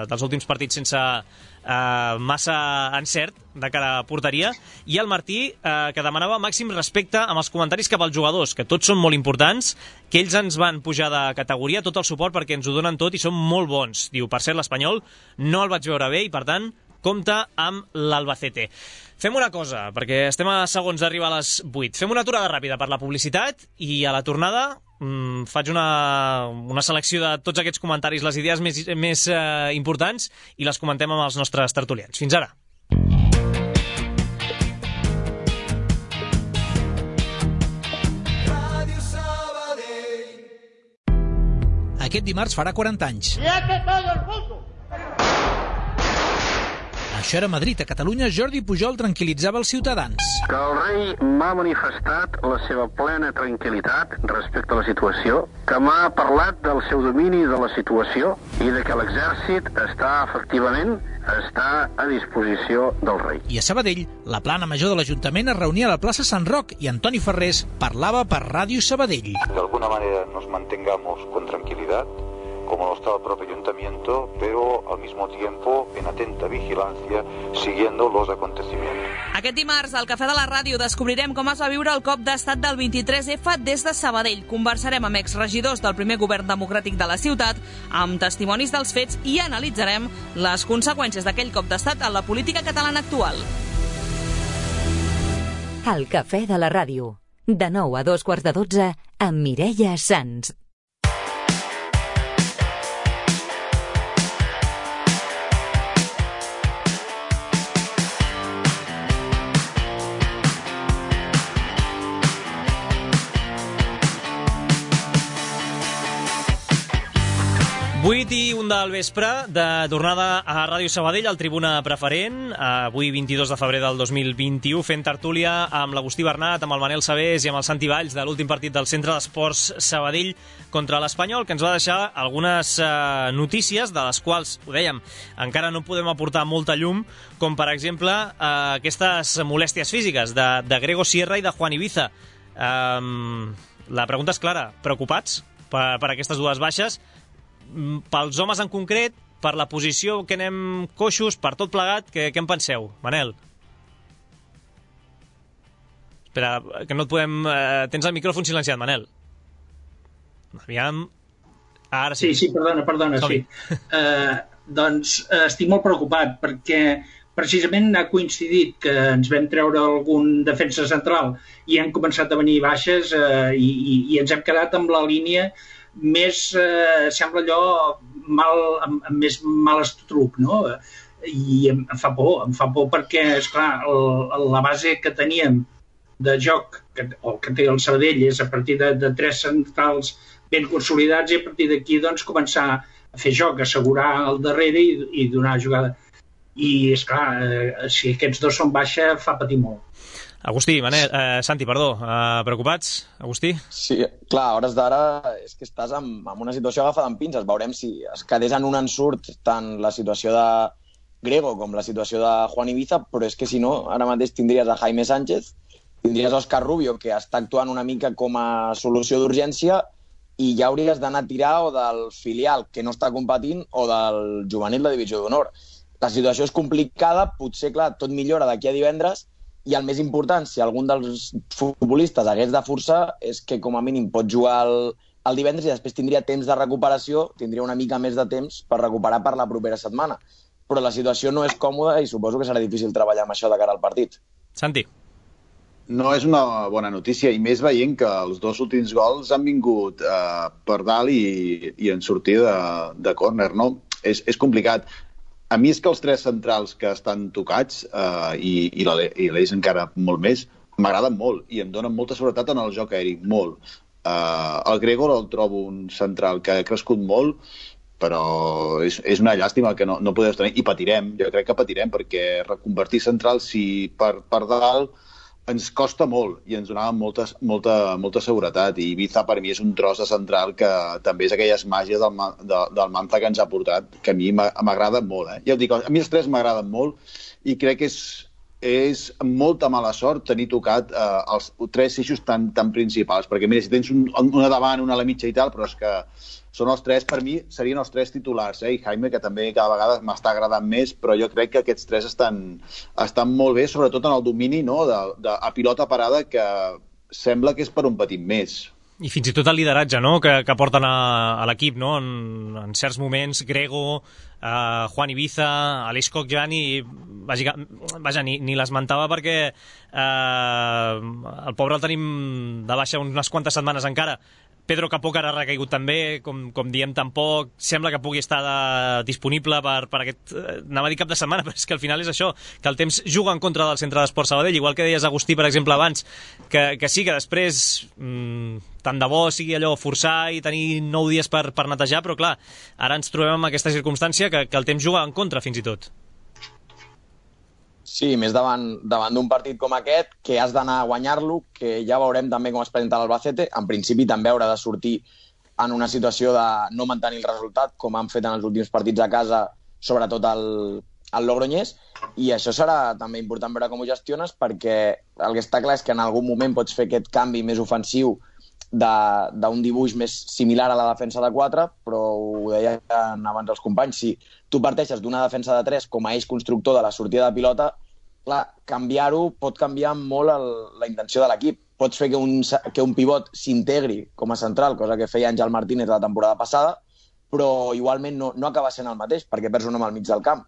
dels últims partits sense eh, massa encert de cara a porteria. I el Martí, eh, que demanava màxim respecte amb els comentaris cap als jugadors, que tots són molt importants, que ells ens van pujar de categoria, tot el suport perquè ens ho donen tot i són molt bons. Diu, per cert, l'Espanyol no el vaig veure bé i, per tant, compte amb l'Albacete. Fem una cosa, perquè estem a segons d'arribar a les vuit. Fem una aturada ràpida per la publicitat i a la tornada mmm, faig una, una selecció de tots aquests comentaris, les idees més, més eh, importants, i les comentem amb els nostres tertulians. Fins ara. Aquest dimarts farà quaranta anys. ¡Siete todo el mundo! Això era a Madrid. A Catalunya, Jordi Pujol tranquil·litzava els ciutadans. Que el rei m'ha manifestat la seva plena tranquil·litat respecte a la situació, que m'ha parlat del seu domini de la situació i de que l'exèrcit està, efectivament, està a disposició del rei. I a Sabadell, la plana major de l'Ajuntament es reunia a la plaça Sant Roc i Antoni Ferrés parlava per Ràdio Sabadell. De alguna manera nos mantengamos con tranquilidad, como lo está el propio ayuntamiento, pero al mismo tiempo en atenta vigilancia, siguiendo los acontecimientos. Aquest dimarts, al Cafè de la Ràdio, descobrirem com es va viure el cop d'estat del vint-i-tres efa des de Sabadell. Conversarem amb exregidors del primer govern democràtic de la ciutat, amb testimonis dels fets i analitzarem les conseqüències d'aquell cop d'estat en la política catalana actual. El Cafè de la Ràdio. De nou a dos quarts de dotze, amb Mireia Sans. vuit i un del vespre, de tornada a Ràdio Sabadell, al Tribuna Preferent, avui vint-i-dos de febrer del dos mil vint-i-u, fent tertúlia amb l'Agustí Bernat, amb el Manel Sabés i amb el Santi Valls de l'últim partit del Centre d'Esports Sabadell contra l'Espanyol, que ens va deixar algunes eh, notícies, de les quals, ho dèiem, encara no podem aportar molta llum, com per exemple eh, aquestes molèsties físiques de, de Grego Sierra i de Juan Ibiza. Eh, la pregunta és clara, preocupats per, per aquestes dues baixes? Pels homes en concret, per la posició que anem coixos, per tot plegat, què, què en penseu, Manel? Espera, que no et podem... Eh, tens el micròfon silenciat, Manel. Aviam... Ara sí. Sí, sí, perdona, perdona, sí. Uh, doncs uh, estic molt preocupat, perquè precisament ha coincidit que ens vam treure algun defensa central i han començat a venir baixes uh, i, i, i ens hem quedat amb la línia més, eh, sembla allò, mal, amb, amb més mal estruc, no? I em, em fa por, em fa por perquè, esclar, el, la base que teníem de joc, que, o que té el Sabadell, és a partir de, de tres centrals ben consolidats i a partir d'aquí, doncs, començar a fer joc, assegurar al darrere i, i donar jugada. I, esclar, eh, si aquests dos són baixa, fa patir molt. Agustí, Manel, eh, Santi, perdó, eh, preocupats, Agustí? Sí, clar, a hores d'ara és que estàs en, en una situació agafada amb pinces. Veurem si es quedés en un ensurt tant la situació de Grego com la situació de Juan Ibiza, però és que si no, ara mateix tindries a Jaime Sánchez, tindries a Òscar Rubio, que està actuant una mica com a solució d'urgència, i ja hauries d'anar a tirar o del filial, que no està competint, o del juvenil de divisió d'honor. La situació és complicada, potser, clar, tot millora d'aquí a divendres, i el més important, si algun dels futbolistes hagués de forçar, és que com a mínim pot jugar el, el divendres i després tindria temps de recuperació, tindria una mica més de temps per recuperar per la propera setmana. Però la situació no és còmoda i suposo que serà difícil treballar amb això de cara al partit. Santi. No és una bona notícia, i més veient que els dos últims gols han vingut eh, per dalt i, i en sortir de, de córner, no? És, és complicat. A mi és que els tres centrals que estan tocats, eh, i, i l'Eix encara molt més, m'agraden molt i em donen molta seguretat en el joc aeri, molt. Eh, el Gregor el trobo un central que ha crescut molt, però és, és una llàstima que no, no podeu tenir, i patirem, jo crec que patirem, perquè reconvertir centrals si per, per dalt ens costa molt i ens donava molta, molta, molta seguretat, i Ibiza per mi és un tros de central que també és aquelles màgies del, de, del Manza que ens ha portat, que a mi m'agrada molt. Eh? Ja ho dic, a mi els tres m'agraden molt i crec que és, és molta mala sort tenir tocat eh, els tres eixos tan, tan principals, perquè mira, si tens un, una davant, una a la mitja i tal, però és que són els tres, per mi, serien els tres titulars, eh? I Jaime, que també cada vegada m'està agradant més, però jo crec que aquests tres estan, estan molt bé, sobretot en el domini, no? de, de, a pilota parada, que sembla que és per un petit més. I fins i tot el lideratge, no?, que, que porten a, a l'equip, no?, en, en certs moments, Grego, eh, Juan Ibiza, Aleix Coc-Giani, vaja, vaja, ni, ni l'esmentava perquè eh, el pobre el tenim de baixa unes quantes setmanes encara. Pedro Capó, que ara ha recaigut també, com, com diem, tampoc sembla que pugui estar de, disponible per, per aquest, anava a dir cap de setmana, però és que al final és això, que el temps juga en contra del Centre d'Esports Sabadell, igual que deies, Agustí, per exemple, abans, que, que sí, que després mmm, tant de bo sigui allò forçar i tenir nou dies per, per netejar, però clar, ara ens trobem en aquesta circumstància que, que el temps juga en contra, fins i tot. Sí, més davant, davant d'un partit com aquest, que has d'anar a guanyar-lo, que ja veurem també com es presenta l'Albacete. En principi també haurà de sortir en una situació de no mantenir el resultat, com han fet en els últims partits a casa, sobretot el, el Logroñés, i això serà també important veure com ho gestiones, perquè el que està clar és que en algun moment pots fer aquest canvi més ofensiu d'un dibuix més similar a la defensa de quatre, però ho deien abans els companys, si tu parteixes d'una defensa de tres com a eix constructor de la sortida de pilota, clar, canviar-ho pot canviar molt el, la intenció de l'equip. Pots fer que un, que un pivot s'integri com a central, cosa que feia Àngel Martínez la temporada passada, però igualment no, no acaba sent el mateix, perquè perds un home al mig del camp.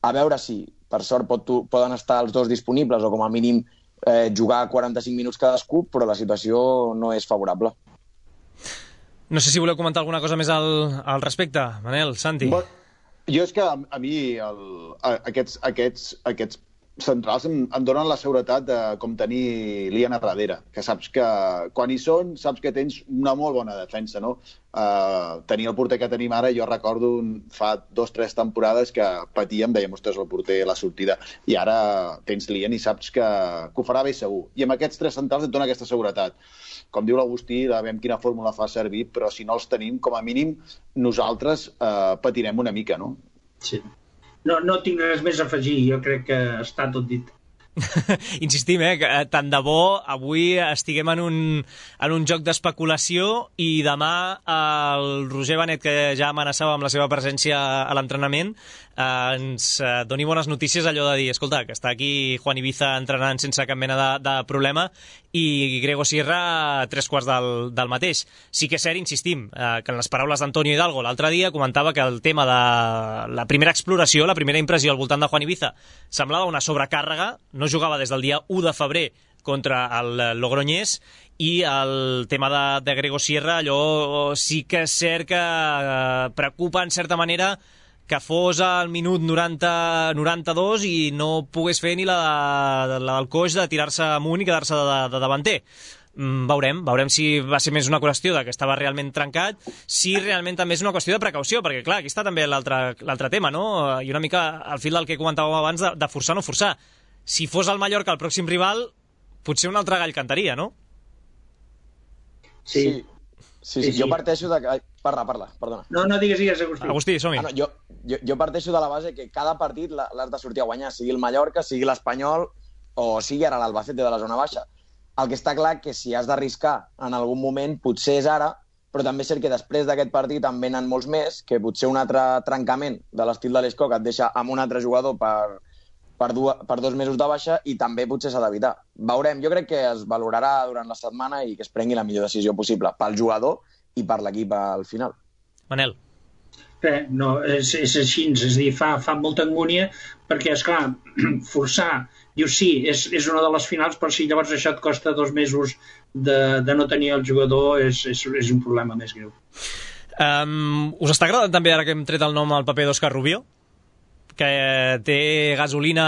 A veure si, per sort, pot, poden estar els dos disponibles o com a mínim eh, jugar quaranta-cinc minuts cadascú, però la situació no és favorable. No sé si voleu comentar alguna cosa més al, al respecte, Manel, Santi. Bon, jo és que a, a mi el, a, aquests, aquests, aquests centrals em, em donen la seguretat de com tenir Lian a darrere, que saps que quan hi són, saps que tens una molt bona defensa, no? Uh, tenir el porter que tenim ara, jo recordo un, fa dos o tres temporades que patíem, dèiem, ostres, el porter, la sortida, i ara tens Lian i saps que, que ho farà bé segur. I amb aquests tres centrals et dona aquesta seguretat. Com diu l'Agustí, veiem quina fórmula fa servir, però si no els tenim, com a mínim, nosaltres uh, patirem una mica, no? Sí. No, no tinc res més a afegir, jo crec que està tot dit. Insistim, eh, que tant de bo avui estiguem en un, en un joc d'especulació i demà el Roger Benet, que ja amenaçava amb la seva presència a l'entrenament, eh, ens doni bones notícies, allò de dir, escolta, que està aquí Juan Ibiza entrenant sense cap mena de, de problema i Grego Sierra tres quarts del, del mateix. Sí que és cert, insistim, eh, que en les paraules d'Antonio Hidalgo l'altre dia comentava que el tema de la primera exploració, la primera impressió al voltant de Juan Ibiza semblava una sobrecàrrega, no jugava des del dia u de febrer contra el Logroñés, i el tema de, de Grego Sierra, allò sí que és cert que eh, preocupa en certa manera que fos al minut noranta noranta-dos i no pogués fer ni la, la del coix de tirar-se amunt i quedar-se de, de davanter. Mm, veurem, veurem si va ser més una qüestió de que estava realment trencat, si realment també és una qüestió de precaució, perquè clar, aquí està també l'altre tema, no? I una mica al fil del que comentàvem abans de, de forçar o no forçar. Si fos el Mallorca el pròxim rival, potser un altre gall cantaria, no? Sí. Sí, sí, sí, jo parteixo de... Ai, parla, parla, perdona. No, no digues, digues, Agustí. Agustí, som-hi. Ah, no, jo, jo, jo parteixo de la base que cada partit l'has de sortir a guanyar, sigui el Mallorca, sigui l'Espanyol o sigui ara l'Albacete de la zona baixa. El que està clar que si has d'arriscar en algun moment, potser és ara, però també és cert que després d'aquest partit en venen molts més, que potser un altre trencament de l'estil de l'Escoc et deixa amb un altre jugador per, per, du per dos mesos de baixa i també potser s'ha d'evitar. Veurem, jo crec que es valorarà durant la setmana i que es prengui la millor decisió possible pel jugador i per l'equip al final. Manel. Bé, no, és, és així, és a dir, fa, fa molta angúnia perquè, esclar, forçar, diu sí, és, és una de les finals, però si llavors això et costa dos mesos de, de no tenir el jugador, és, és, és un problema més greu. Um, us està agradant també, ara que hem tret el nom al paper d'Òscar Rubio? Que té gasolina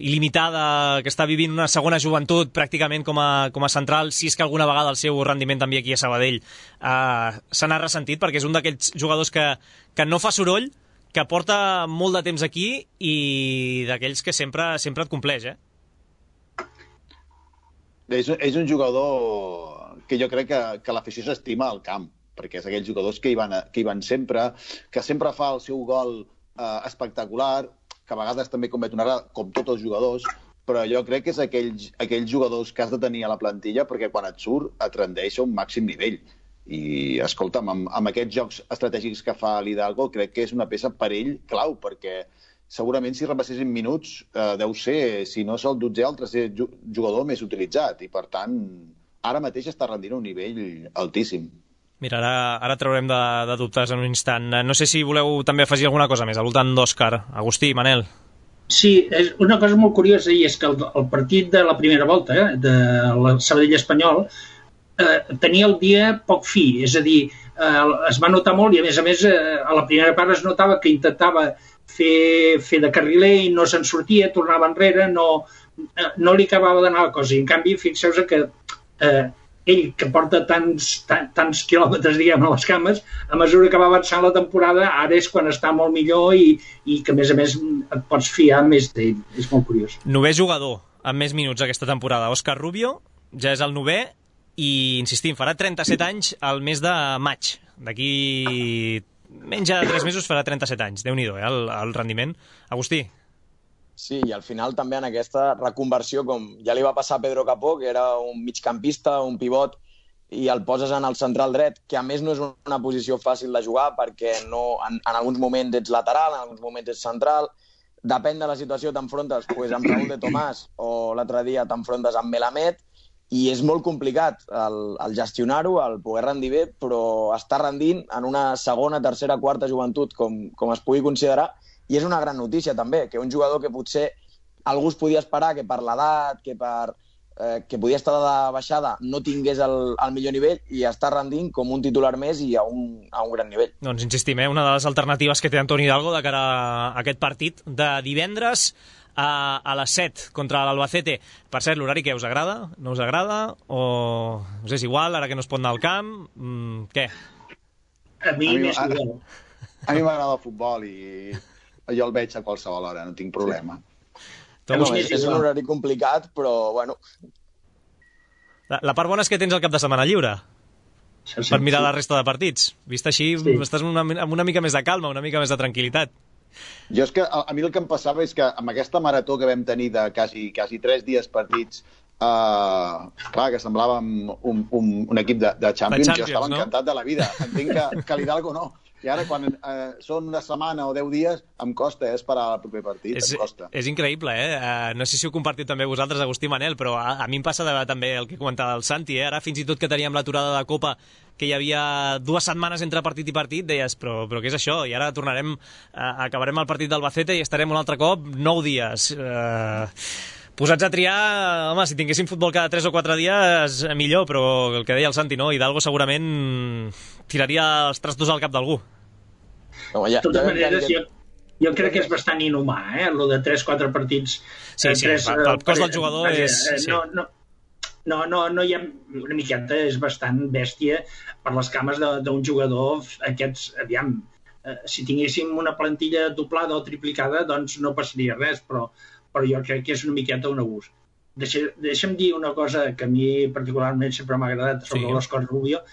il·limitada, que està vivint una segona joventut pràcticament com a, com a central, si és que alguna vegada el seu rendiment també aquí a Sabadell uh, se n'ha ressentit, perquè és un d'aquells jugadors que, que no fa soroll, que porta molt de temps aquí i d'aquells que sempre, sempre et compleix, eh? És, és un jugador que jo crec que, que l'afició s'estima al camp, perquè és aquells jugadors que hi van, que hi van sempre, que sempre fa el seu gol Uh, espectacular, que a vegades també comet una errada, com tots els jugadors, però jo crec que és aquells, aquells jugadors que has de tenir a la plantilla perquè quan et surt et rendeix a un màxim nivell. I, escolta'm, amb, amb aquests jocs estratègics que fa l'Hidalgo, crec que és una peça per ell clau, perquè segurament si repassessin minuts eh, deu ser, si no és el dotzè, el tercer jugador més utilitzat, i per tant, ara mateix està rendint a un nivell altíssim. Mira, ara, ara traurem de, de dubtes en un instant. No sé si voleu també afegir alguna cosa més al voltant d'Òscar. Agustí, Manel. Sí, és una cosa molt curiosa i és que el, el partit de la primera volta eh, de la Sabadell Espanyol eh, tenia el dia poc fi, és a dir, eh, es va notar molt i a més a més eh, a la primera part es notava que intentava fer, fer de carriler i no se'n sortia, tornava enrere, no, eh, no li acabava d'anar la cosa. I en canvi, fixeu-vos que eh, ell, que porta tants, tants, tants quilòmetres, diguem, a les cames, a mesura que va avançant la temporada, ara és quan està molt millor i, i que, a més a més, et pots fiar més d'ell. És molt curiós. Novè jugador amb més minuts aquesta temporada. Òscar Rubio ja és el novè i, insistim, farà trenta-set anys al mes de maig. D'aquí menys de tres mesos farà trenta-set anys. Déu-n'hi-do, eh, el, el rendiment. Agustí. Sí, i al final també en aquesta reconversió, com ja li va passar a Pedro Capó, que era un migcampista, un pivot, i el poses en el central dret, que a més no és una posició fàcil de jugar perquè no, en, en alguns moments ets lateral, en alguns moments ets central, depèn de la situació, t'enfrontes pues, amb Raúl de Tomàs o l'altre dia t'enfrontes amb Melamed, i és molt complicat el, el gestionar-ho, el poder rendir bé, però està rendint en una segona, tercera, quarta joventut, com, com es pugui considerar. I és una gran notícia, també, que un jugador que potser algú es podia esperar que per l'edat, que, per, eh, que podia estar de baixada, no tingués el, el millor nivell i està rendint com un titular més i a un, a un gran nivell. Doncs insistim, eh? Una de les alternatives que té Antoni Hidalgo de cara a aquest partit de divendres a, a les set contra l'Albacete. Per cert, l'horari què us agrada? No us agrada? O us és igual, ara que no es pot anar al camp? Mm, què? A mi, a mi més a, a mi m'agrada el futbol i jo el veig a qualsevol hora, no tinc problema. Sí. No, és, és un horari complicat, però, bueno... La, la part bona és que tens el cap de setmana lliure sí, sí, per mirar sí. la resta de partits. Vist així, sí. estàs una, amb una mica més de calma, una mica més de tranquil·litat. Jo és que a, a mi el que em passava és que amb aquesta marató que vam tenir de quasi, quasi tres dies partits, uh, clar, que semblàvem un, un, un equip de, de Champions, de Champions, jo estava no? encantat de la vida. Entenc que, que l'Hidalgo no. I ara, quan eh, són una setmana o deu dies, em costa eh, esperar el proper partit. És, em costa. És increïble, eh? Uh, no sé si ho compartiu també vosaltres, Agustí i Manel, però a, a mi em passa de, també el que comentava el Santi, eh? Ara fins i tot que teníem l'aturada de Copa, que hi havia dues setmanes entre partit i partit, deies, però, però què és això? I ara tornarem, uh, acabarem el partit d'Albacete i estarem un altre cop nou dies. Uh, posats a triar, home, si tinguéssim futbol cada tres o quatre dies, millor, però el que deia el Santi, no? Hidalgo segurament tiraria els trastos al cap d'algú. No, ja, de totes ja maneres, jo, jo crec que és bastant inhumà, eh? Lo de tres o quatre partits... Sí, sí, tres, el, el cos del jugador vaja, és... Sí. No, no, no, no, no hi ha... Una miqueta és bastant bèstia per les cames d'un jugador. Aquests, aviam, eh, si tinguéssim una plantilla doblada o triplicada, doncs no passaria res, però, però jo crec que és una miqueta un abús. Deixa, deixa'm dir una cosa que a mi particularment sempre m'ha agradat sobre sí. l'Òscar Rubio,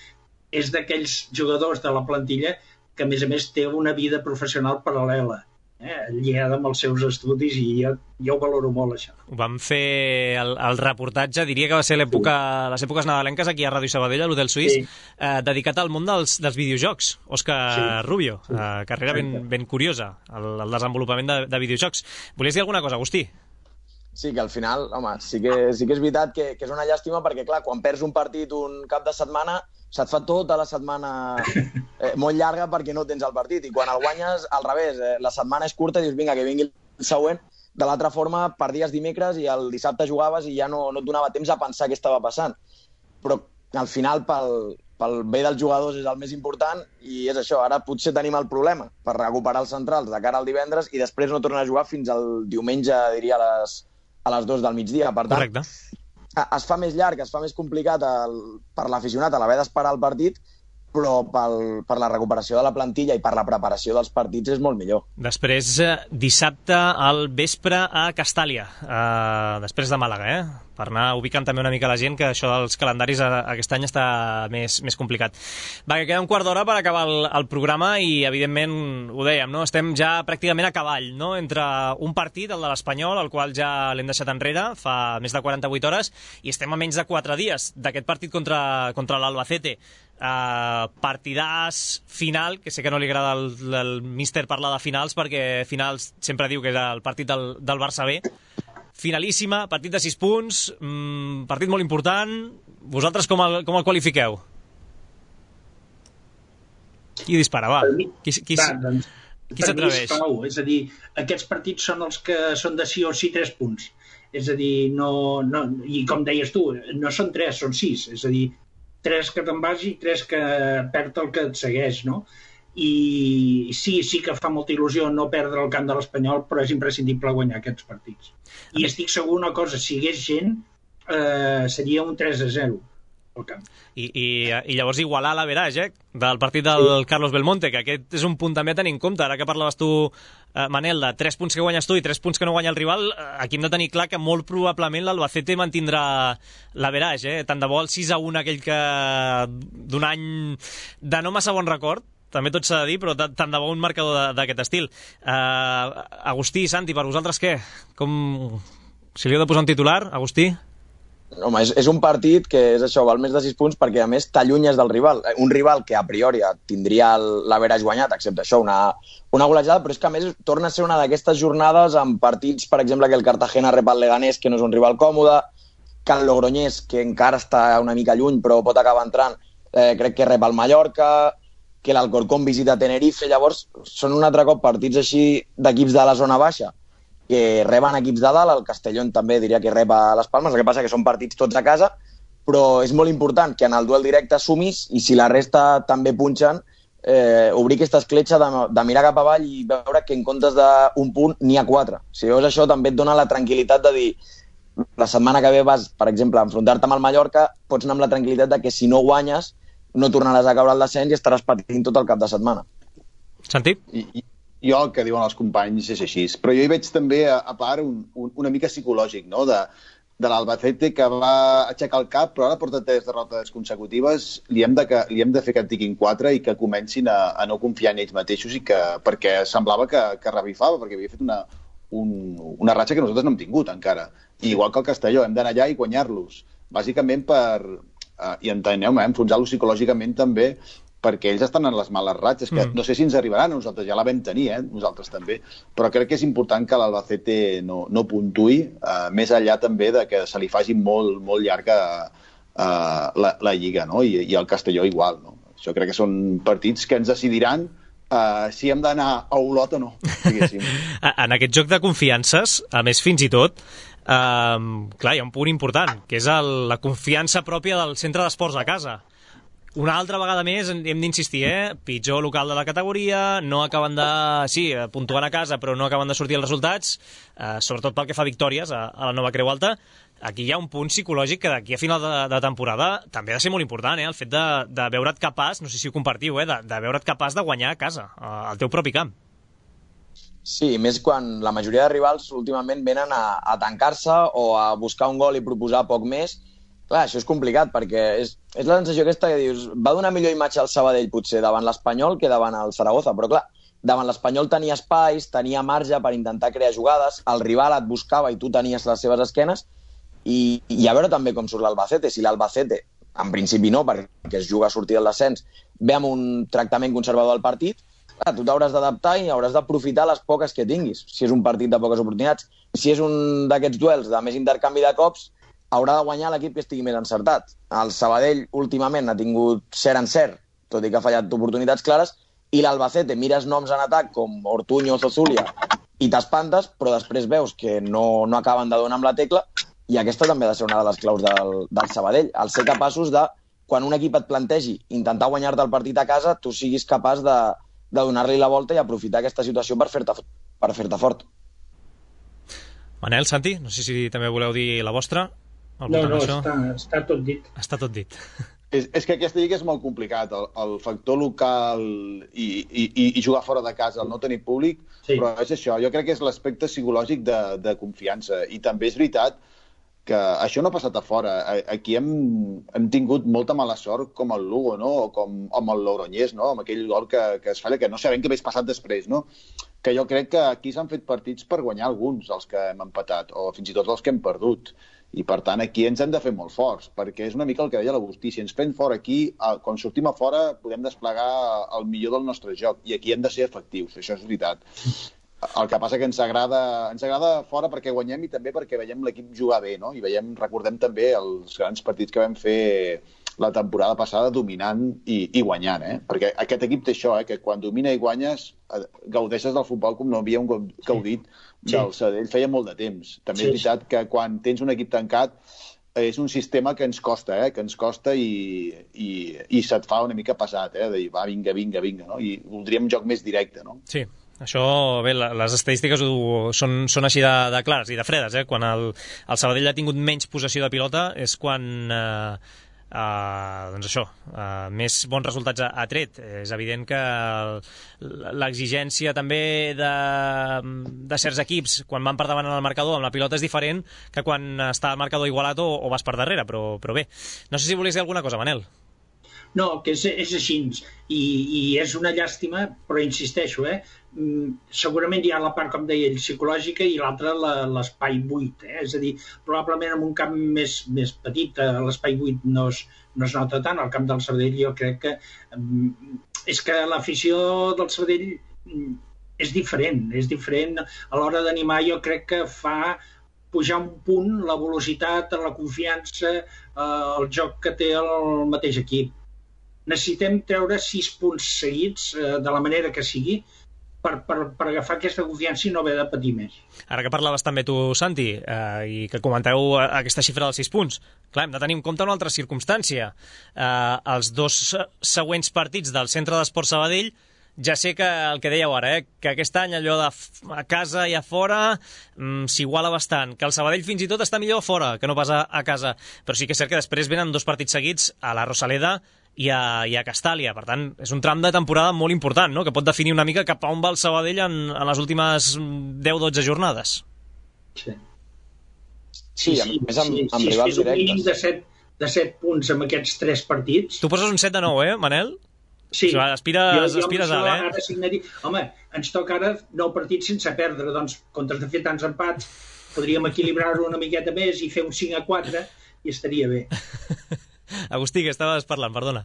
és d'aquells jugadors de la plantilla que a més a més té una vida professional paral·lela, eh? lligada amb els seus estudis, i jo, jo ho valoro molt, això. Ho vam fer el, el reportatge, diria que va ser l'època, sí. les èpoques nadalenques aquí a Ràdio Sabadell, a l'Hotel Suís, sí. eh, dedicat al món dels, dels videojocs. Òscar sí. Rubio, sí. Eh, carrera ben, ben curiosa, el, el desenvolupament de, de videojocs. Volies dir alguna cosa, Agustí? Sí, que al final, home, sí que, sí que és veritat que, que és una llàstima perquè, clar, quan perds un partit un cap de setmana, se't fa tota la setmana eh, molt llarga perquè no tens el partit. I quan el guanyes, al revés, eh, la setmana és curta i dius, vinga, que vingui el següent. De l'altra forma, perdies dimecres i el dissabte jugaves i ja no, no et donava temps a pensar què estava passant. Però al final, pel, pel bé dels jugadors és el més important i és això. Ara potser tenim el problema per recuperar els centrals de cara al divendres i després no tornar a jugar fins al diumenge, diria, a les, a les dues del migdia. Per tant, correcte. Es fa més llarg, es fa més complicat el, per l'aficionat a l'haver d'esperar el partit, però pel, per la recuperació de la plantilla i per la preparació dels partits és molt millor. Després, dissabte al vespre a Castàlia, eh, després de Màlaga, eh? per anar ubicant també una mica la gent, que això dels calendaris aquest any està més, més complicat. Va, que queda un quart d'hora per acabar el, el programa i, evidentment, ho dèiem, no? Estem ja pràcticament a cavall, no? Entre un partit, el de l'Espanyol, el qual ja l'hem deixat enrere fa més de quaranta-vuit hores, i estem a menys de quatre dies d'aquest partit contra, contra l'Albacete. Uh, partidàs final, que sé que no li agrada el, el míster parlar de finals perquè finals sempre diu que és el partit del, del Barça B. Finalíssima, partit de sis punts, mmm, partit molt important. Vosaltres com el, com el qualifiqueu? Qui dispara, va? Qui, qui, va, doncs, qui s'atreveix? És a dir, aquests partits són els que són de sí o sí tres punts. És a dir, no, no, i com deies tu, no són tres, són sis. És a dir, tres que te'n vas i tres que perd el que et segueix, no? I sí, sí que fa molta il·lusió no perdre el camp de l'Espanyol, però és imprescindible guanyar aquests partits. I estic segur una cosa, si hi hagués gent, eh, seria un tres a zero al camp. I, i, i llavors igualar l'average eh, del partit del sí. Carlos Belmonte, que aquest és un punt també a tenir en compte. Ara que parlaves tu, eh, Manel, de tres punts que guanyes tu i tres punts que no guanya el rival, eh, aquí hem de tenir clar que molt probablement l'Albacete mantindrà l'average. Eh? Tant de bo el sis a un aquell que d'un any de no massa bon record, també tot s'ha de dir, però tant de bo un marcador d'aquest estil. Uh, Agustí, Santi, per vosaltres què? Com... Si li heu de posar un titular, Agustí? Home, és, és un partit que és això, val més de sis punts perquè a més t'allunyes del rival. Un rival que a priori tindria l'average guanyat, excepte això, una, una golejada, però és que a més torna a ser una d'aquestes jornades amb partits, per exemple, que el Cartagena rep el Leganés, que no és un rival còmode, que el Logroñés, que encara està una mica lluny però pot acabar entrant, eh, crec que rep el Mallorca, que l'Alcorcón visita Tenerife. Llavors són un altre cop partits així d'equips de la zona baixa que reben equips de dalt. El Castellón també diria que rep a les Palmes, el que passa que són partits tots a casa, però és molt important que en el duel directe sumis i si la resta també punxen, eh, obrir aquesta escletxa de, de mirar cap avall i veure que en comptes d'un punt n'hi ha quatre. Si veus això també et dona la tranquil·litat de dir la setmana que ve vas, per exemple, a enfrontar-te amb el Mallorca, pots anar amb la tranquil·litat de que si no guanyes no tornaràs a caure al descens i estaràs patint tot el cap de setmana. Santi? I, i, jo el que diuen els companys és així, però jo hi veig també a, a part un, un, una mica psicològic, no?, de, de l'Albacete que va aixecar el cap, però ara porta tres derrotes consecutives, li hem de, que, li hem de fer que en tiquin quatre i que comencin a, a no confiar en ells mateixos, i que, perquè semblava que, que revifava, perquè havia fet una, un, una ratxa que nosaltres no hem tingut encara. I igual que el Castelló, hem d'anar allà i guanyar-los, bàsicament per... Uh, i enteneu-me, eh, enfonsar-los psicològicament també, perquè ells estan en les males ratxes, que mm. no sé si ens arribaran, nosaltres ja la vam tenir, eh, nosaltres també, però crec que és important que l'Albacete no, no puntuï, uh, més enllà també de que se li faci molt, molt llarga uh, la, la Lliga, no? I, i el Castelló igual, no? Això crec que són partits que ens decidiran uh, si hem d'anar a Olot o no, diguéssim. En aquest joc de confiances, a més fins i tot, Um, clar, hi ha un punt important, que és el, la confiança pròpia del centre d'esports a casa. Una altra vegada més hem d'insistir, eh? Pitjor local de la categoria, no acaben de... Sí, puntuant a casa, però no acaben de sortir els resultats, eh, sobretot pel que fa a victòries a, a la Nova Creu Alta. Aquí hi ha un punt psicològic que d'aquí a final de, de temporada també ha de ser molt important, eh? El fet de, de veure't capaç, no sé si ho compartiu, eh? de, de veure't capaç de guanyar a casa, al teu propi camp. Sí, més quan la majoria de rivals últimament venen a, a tancar-se o a buscar un gol i proposar poc més. Clar, això és complicat perquè és, és la sensació aquesta que dius, va donar millor imatge al Sabadell potser davant l'Espanyol que davant el Zaragoza, però clar, davant l'Espanyol tenia espais, tenia marge per intentar crear jugades, el rival et buscava i tu tenies les seves esquenes, i, i a veure també com surt l'Albacete. Si l'Albacete, en principi no, perquè es juga a sortir del descens, ve amb un tractament conservador al partit, clar, tu t'hauràs d'adaptar i hauràs d'aprofitar les poques que tinguis, si és un partit de poques oportunitats. Si és un d'aquests duels de més intercanvi de cops, haurà de guanyar l'equip que estigui més encertat. El Sabadell últimament ha tingut cert en cert, tot i que ha fallat oportunitats clares, i l'Albacete mires noms en atac com Ortuño o Zozulia i t'espantes, però després veus que no, no acaben de donar amb la tecla, i aquesta també ha de ser una de les claus del, del Sabadell, el ser capaços de, quan un equip et plantegi intentar guanyar-te el partit a casa, tu siguis capaç de de donar-li la volta i aprofitar aquesta situació per fer-te per fer-te fort. Manel, Santi, no sé si també voleu dir la vostra. No, no, està, està tot dit. Està tot dit. És, és que aquesta lliga és molt complicat, el, el factor local i, i, i jugar fora de casa, el no tenir públic, sí. Però és això, jo crec que és l'aspecte psicològic de, de confiança, i també és veritat que això no ha passat a fora. Aquí hem, hem tingut molta mala sort com el Lugo, no? O com amb el Logroñés, no? Amb aquell gol que, que es falla, que no sabem què hagués passat després, no? Que jo crec que aquí s'han fet partits per guanyar alguns, els que hem empatat, o fins i tot els que hem perdut. I, per tant, aquí ens hem de fer molt forts, perquè és una mica el que deia l'Agustí. Si ens fem fora aquí, quan sortim a fora, podem desplegar el millor del nostre joc, i aquí hem de ser efectius, això és veritat. El que passa que ens agrada, ens agrada fora perquè guanyem i també perquè veiem l'equip jugar bé, no? I veiem, recordem també els grans partits que vam fer la temporada passada dominant i, i guanyant, eh? Perquè aquest equip té això, eh? Que quan domina i guanyes gaudeixes del futbol com no havíem gaudit sí. del Sabadell feia molt de temps. També sí, és veritat que quan tens un equip tancat és un sistema que ens costa, eh? Que ens costa i, i, i se't fa una mica pesat, eh? De dir, va, vinga, vinga, vinga, no? I voldríem un joc més directe, no? Sí. Això, bé, les estadístiques ho, són, són així de, de clares i de fredes, eh? Quan el, el Sabadell ha tingut menys possessió de pilota és quan eh, Uh, doncs això, uh, més bons resultats ha, ha tret. És evident que l'exigència també de, de certs equips quan van per davant en el marcador amb la pilota és diferent que quan està el marcador igualat o, o vas per darrere, però, però bé, no sé si volies dir alguna cosa, Manel. No, que és, és així, i, i és una llàstima, però insisteixo, eh? segurament hi ha la part, com deia ell, psicològica i l'altra l'espai buit, eh? És a dir, probablement en un camp més, més petit l'espai buit no es, no es nota tant. Al camp del Sabadell jo crec que és que l'afició del Sabadell és diferent, és diferent a l'hora d'animar. Jo crec que fa pujar un punt la velocitat, la confiança, el joc que té el mateix equip. Necessitem treure sis punts seguits eh, de la manera que sigui per, per, per agafar aquesta confiança i no haver de patir més. Ara que parlaves també tu, Santi, eh, i que comenteu aquesta xifra dels sis punts, clar, hem de tenir en compte una altra circumstància. Eh, els dos següents partits del Centre d'Esport Sabadell, ja sé que el que dèieu ara, eh, que aquest any allò de a casa i a fora mm, s'iguala bastant, que el Sabadell fins i tot està millor a fora que no pas a, a casa, però sí que és cert que després venen dos partits seguits a la Rosaleda i a, i a Castàlia. Per tant, és un tram de temporada molt important, no?, que pot definir una mica cap a on va el Sabadell en, en les últimes deu dotze jornades. Sí, sí, sí, a més amb, sí, amb sí, rivals sí, directes. Un mínim de set, de set punts amb aquests tres partits. Tu poses un set de nou, eh, Manel? Sí. O sigui, aspires, jo, jo aspires alt, eh? Ara signaria... Home, ens toca ara nou partits sense perdre, doncs, comptes de fer tants empats, podríem equilibrar-ho una miqueta més i fer un cinc a quatre i estaria bé. Agustí, que estaves parlant, perdona.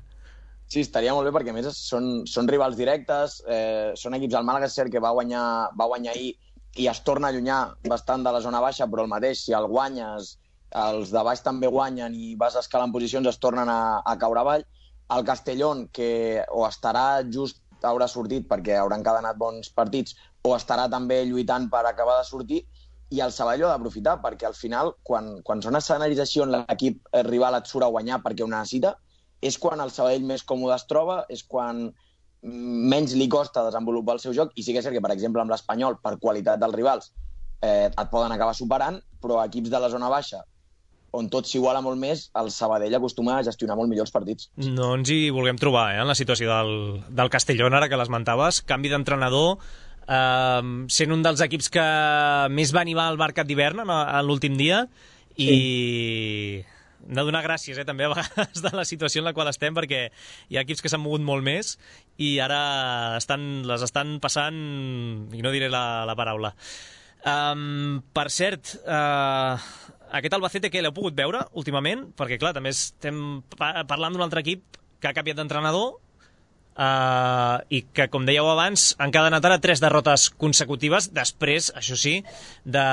Sí, estaria molt bé perquè, a més, són, són rivals directes, eh, són equips. El Màlaga és cert que va guanyar, va guanyar ahir i es torna a allunyar bastant de la zona baixa, però el mateix, si el guanyes, els de baix també guanyen i vas escalant posicions, es tornen a, a caure avall. El Castellón, que o estarà just, haurà sortit perquè hauran encadenat bons partits, o estarà també lluitant per acabar de sortir, i el Sabadell ho ha d'aprofitar, perquè al final, quan, quan són escenaris així on l'equip rival et surt a guanyar perquè ho necessita, és quan el Sabadell més còmode es troba, és quan menys li costa desenvolupar el seu joc, i sí que és cert que, per exemple, amb l'Espanyol, per qualitat dels rivals, eh, et poden acabar superant, però equips de la zona baixa, on tot s'iguala molt més, el Sabadell acostuma a gestionar molt millor els partits. No ens hi vulguem trobar, eh, en la situació del, del Castellón, ara que l'esmentaves, canvi d'entrenador, eh, sent un dels equips que més va animar el mercat d'hivern en, en l'últim dia, i sí. Hem de donar gràcies, eh, també a vegades de la situació en la qual estem, perquè hi ha equips que s'han mogut molt més i ara estan, les estan passant, i no diré la, la paraula. Um, per cert, uh, aquest Albacete que l'heu pogut veure últimament? Perquè, clar, també estem parlant d'un altre equip que ha canviat d'entrenador uh, i que, com dèieu abans, han encadenat ara tres derrotes consecutives després, això sí, de,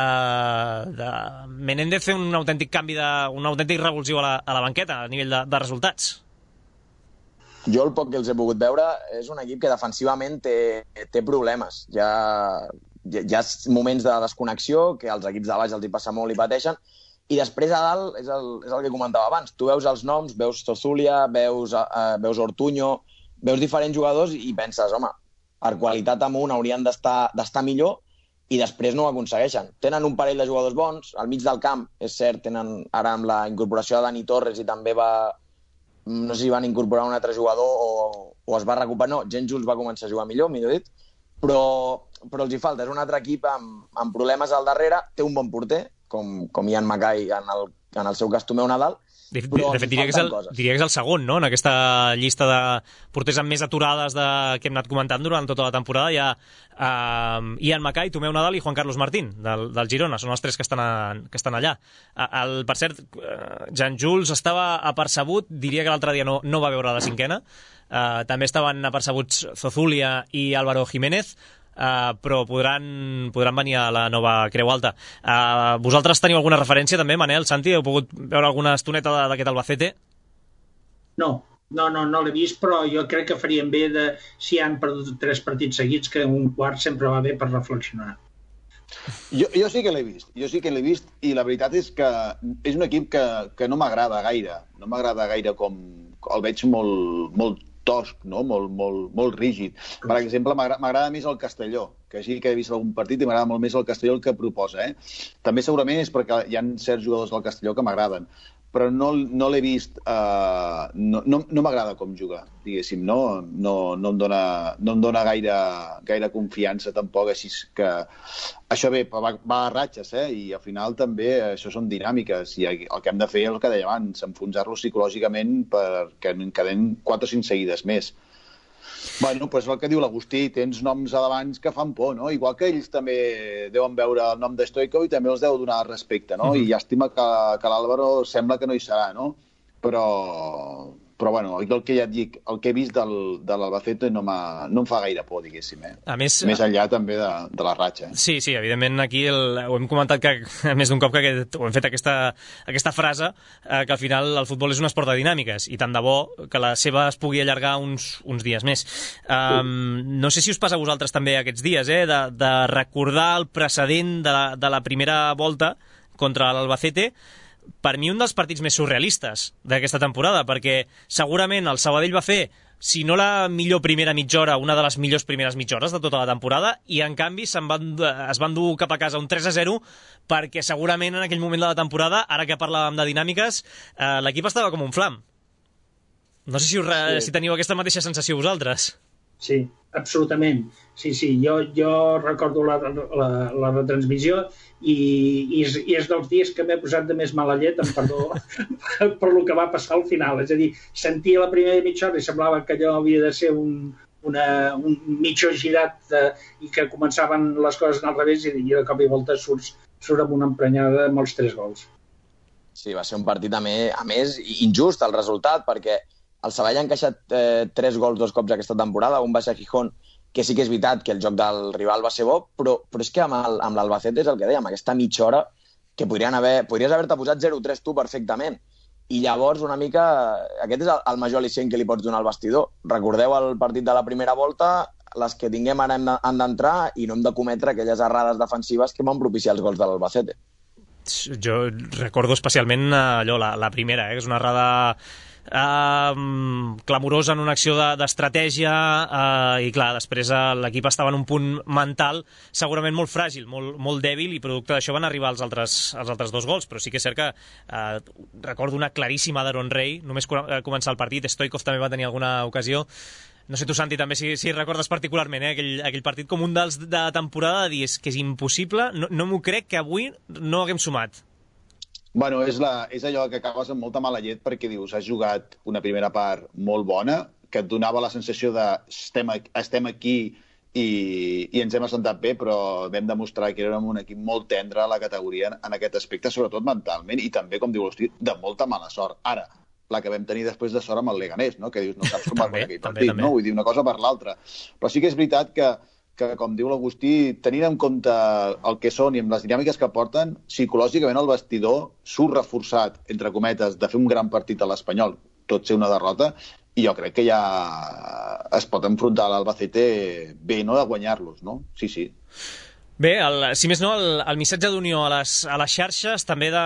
de Menéndez fer un autèntic canvi, de, un autèntic revulsiu a la, a la banqueta a nivell de, de resultats. Jo el poc que els he pogut veure és un equip que defensivament té, té problemes. Hi ha, hi ha moments de desconnexió que als equips de baix els hi passa molt i pateixen, i després a dalt és el, és el que comentava abans. Tu veus els noms, veus Zozulia, veus, uh, veus Ortuño, veus diferents jugadors i penses, home, per qualitat amunt haurien d'estar d'estar millor, i després no ho aconsegueixen. Tenen un parell de jugadors bons, al mig del camp, és cert, tenen ara amb la incorporació de Dani Torres i també va... no sé si van incorporar un altre jugador o, o es va recuperar. No, Gen Jules va començar a jugar millor, millor dit, però, però els hi falta. És un altre equip amb, amb problemes al darrere, té un bon porter, com, com Ian Mackay en el, en el seu cas Tomeu Nadal. De, de, de fet, diria que, és el, diria que és el segon, no?, en aquesta llista de porters amb més aturades de, que hem anat comentant durant tota la temporada. Hi ha uh, Ian Mackay, Tomeu Nadal i Juan Carlos Martín, del, del Girona. Són els tres que estan, a, que estan allà. El, per cert, Jan Jules estava apercebut, diria que l'altre dia no, no va veure la cinquena. Uh, també estaven apercebuts Zozulia i Álvaro Jiménez, Uh, però podran, podran venir a la nova Creu Alta. Uh, vosaltres teniu alguna referència també, Manel, Santi? Heu pogut veure alguna estoneta d'aquest Albacete? No, no, no, no l'he vist, però jo crec que farien bé de, si han perdut tres partits seguits, que un quart sempre va bé per reflexionar. Jo, jo sí que l'he vist, jo sí que l'he vist, i la veritat és que és un equip que, que no m'agrada gaire, no m'agrada gaire com el veig molt, molt tosc, no? molt, molt, molt rígid. Per exemple, m'agrada més el Castelló, que sí que he vist algun partit i m'agrada molt més el Castelló el que proposa. Eh? També segurament és perquè hi ha certs jugadors del Castelló que m'agraden, però no, no l'he vist, uh, no, no, no m'agrada com juga, diguéssim, no, no, no, em, dona, no em dona gaire, gaire confiança tampoc, així que això bé, va, va a ratxes, eh? I al final també això són dinàmiques, i el que hem de fer és el que deia abans, enfonsar-los psicològicament perquè en queden quatre o cinc seguides més. Bueno, doncs el que diu l'Agustí, tens noms a davant que fan por, no? Igual que ells també deuen veure el nom de Stoico i també els deu donar respecte, no? Mm-hmm. I llàstima que, que l'Àlvaro sembla que no hi serà, no? Però, però bueno, el que ja et dic, el que he vist del, de l'Albacete no, no em fa gaire por, diguéssim, eh? A més, més enllà també de, de la ratxa. Sí, sí, evidentment aquí el, ho hem comentat que, més d'un cop que aquest, ho hem fet aquesta, aquesta frase, eh, que al final el futbol és un esport de dinàmiques i tant de bo que la seva es pugui allargar uns, uns dies més. Um, no sé si us passa a vosaltres també aquests dies, eh, de, de recordar el precedent de la, de la primera volta contra l'Albacete. Per mi un dels partits més surrealistes d'aquesta temporada, perquè segurament el Sabadell va fer, si no la millor primera mitja hora, una de les millors primeres mitja hores de tota la temporada, i en canvi se'n van, es van dur cap a casa un tres a zero, perquè segurament en aquell moment de la temporada, ara que parlàvem de dinàmiques, eh, l'equip estava com un flam. No sé si, us, sí. si teniu aquesta mateixa sensació vosaltres. Sí, absolutament. Sí, sí, jo, jo recordo la, la, la retransmissió i, i, és, i és dels dies que m'he posat de més mala llet, amb perdó, per lo que va passar al final. És a dir, sentia la primera mitja hora i semblava que allò havia de ser un, una, un mitjó girat de, i que començaven les coses al revés i, i de cop i volta surts, surt amb una emprenyada amb els tres gols. Sí, va ser un partit a més, a més injust el resultat, perquè el Sabadell ha encaixat eh, tres gols dos cops aquesta temporada, un va ser a Gijón, que sí que és veritat que el joc del rival va ser bo, però, però és que amb, el, amb l'Albacete és el que dèiem, aquesta mitja hora que podrien haver, podries haver-te posat zero tres tu perfectament. I llavors una mica, aquest és el, el major al·licient que li pots donar al vestidor. Recordeu el partit de la primera volta, les que tinguem ara han d'entrar i no hem de cometre aquelles errades defensives que van propiciar els gols de l'Albacete. Jo recordo especialment allò, la, la primera, eh, que és una errada Uh, clamorosa en una acció d'estratègia de, uh, i clar, després uh, l'equip estava en un punt mental segurament molt fràgil, molt, molt dèbil, i producte d'això van arribar els altres, els altres dos gols, però sí que és cert que uh, recordo una claríssima d'Aaron Rey només començar el partit. Stoikov també va tenir alguna ocasió. No sé tu, Santi, també si, si recordes particularment eh, aquell, aquell partit com un dels de temporada de dir és que és impossible, no, no m'ho crec que avui no haguem sumat. Bueno, és, la, és allò que acabes amb molta mala llet perquè dius, has jugat una primera part molt bona, que et donava la sensació de estem, estem aquí i, i ens hem assentat bé, però vam demostrar que érem un equip molt tendre a la categoria en aquest aspecte, sobretot mentalment, i també, com diu l'Hosti, de molta mala sort. Ara, la que vam tenir després de sort amb el Leganés, no? Que dius, no saps com va aquell partit, també, no? Vull dir, una cosa per l'altra. Però sí que és veritat que que, com diu l'Agustí, tenint en compte el que són i amb les dinàmiques que porten, psicològicament el vestidor surt reforçat, entre cometes, de fer un gran partit a l'Espanyol, tot ser una derrota, i jo crec que ja es pot enfrontar a l'Albacete bé, no?, de guanyar-los, no? Sí, sí. Bé, el, si més no, el, el missatge d'unió a les, a les xarxes també de,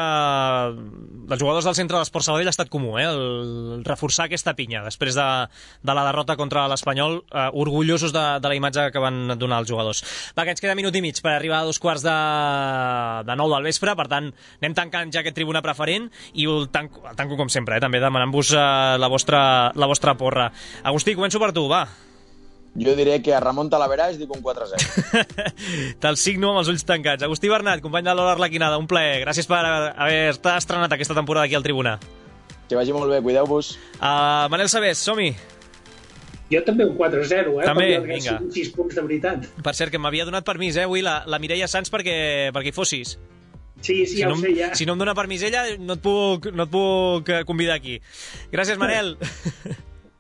dels jugadors del centre de l'Esport Sabadell ha estat comú, eh? el reforçar aquesta pinya després de, de la derrota contra l'Espanyol, eh, orgullosos de, de la imatge que van donar els jugadors. Va, que ens queda minut i mig per arribar a dos quarts de, de nou del vespre, per tant anem tancant ja aquest tribuna preferent i el tanco, el tanco com sempre, eh? també demanant-vos eh, la, vostra, la vostra porra. Agustí, començo per tu, va. Jo diré que a Ramon Talaveraix dic un quatre a zero. Te'l signo amb els ulls tancats. Agustí Bernat, company de l'Hora Arlequinada, un plaer. Gràcies per haver-te estrenat aquesta temporada aquí al Tribuna. Que vagi molt bé, cuideu-vos. Uh, Manel Sabés, som-hi. Jo també un quatre a zero, eh? També, vinga. sis punts de veritat. Per cert, que m'havia donat permís, eh, avui, la, la Mireia Sans perquè, perquè hi fossis. Sí, sí, si ja no, ho sé, ja. Si no em dona permís ella, no et puc, no et puc convidar aquí. Gràcies, Manel.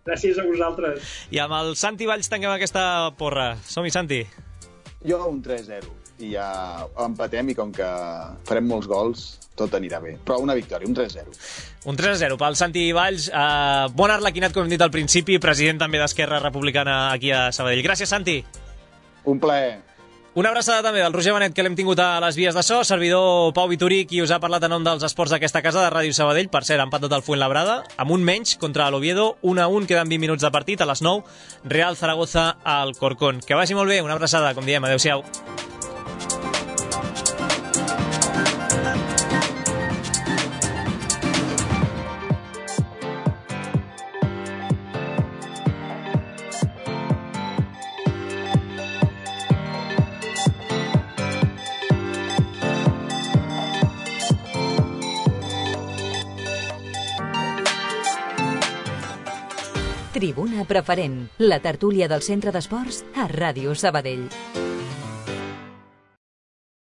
Gràcies a vosaltres. I amb el Santi Valls tanquem aquesta porra. Som-hi, Santi. Jo un tres a zero. I ja empatem i com que farem molts gols, tot anirà bé. Però una victòria, un tres a zero. Un tres a zero pel Santi Valls. Uh, bon Arlequinat, com hem dit al principi, president també d'Esquerra Republicana aquí a Sabadell. Gràcies, Santi. Un plaer. Una abraçada també del Roger Benet, que l'hem tingut a les vies de so, servidor Pau Vitorí, qui us ha parlat en nom dels esports d'aquesta casa de Ràdio Sabadell. Per cert, empat del Fuenlabrada, amb un menys contra l'Oviedo, un a un, queden vint minuts de partit, a les nou, Real Zaragoza al Corcón. Que vagi molt bé, una abraçada, com diem, adeu-siau. Tribuna Preferent, la tertúlia del Centre d'Esports a Ràdio Sabadell.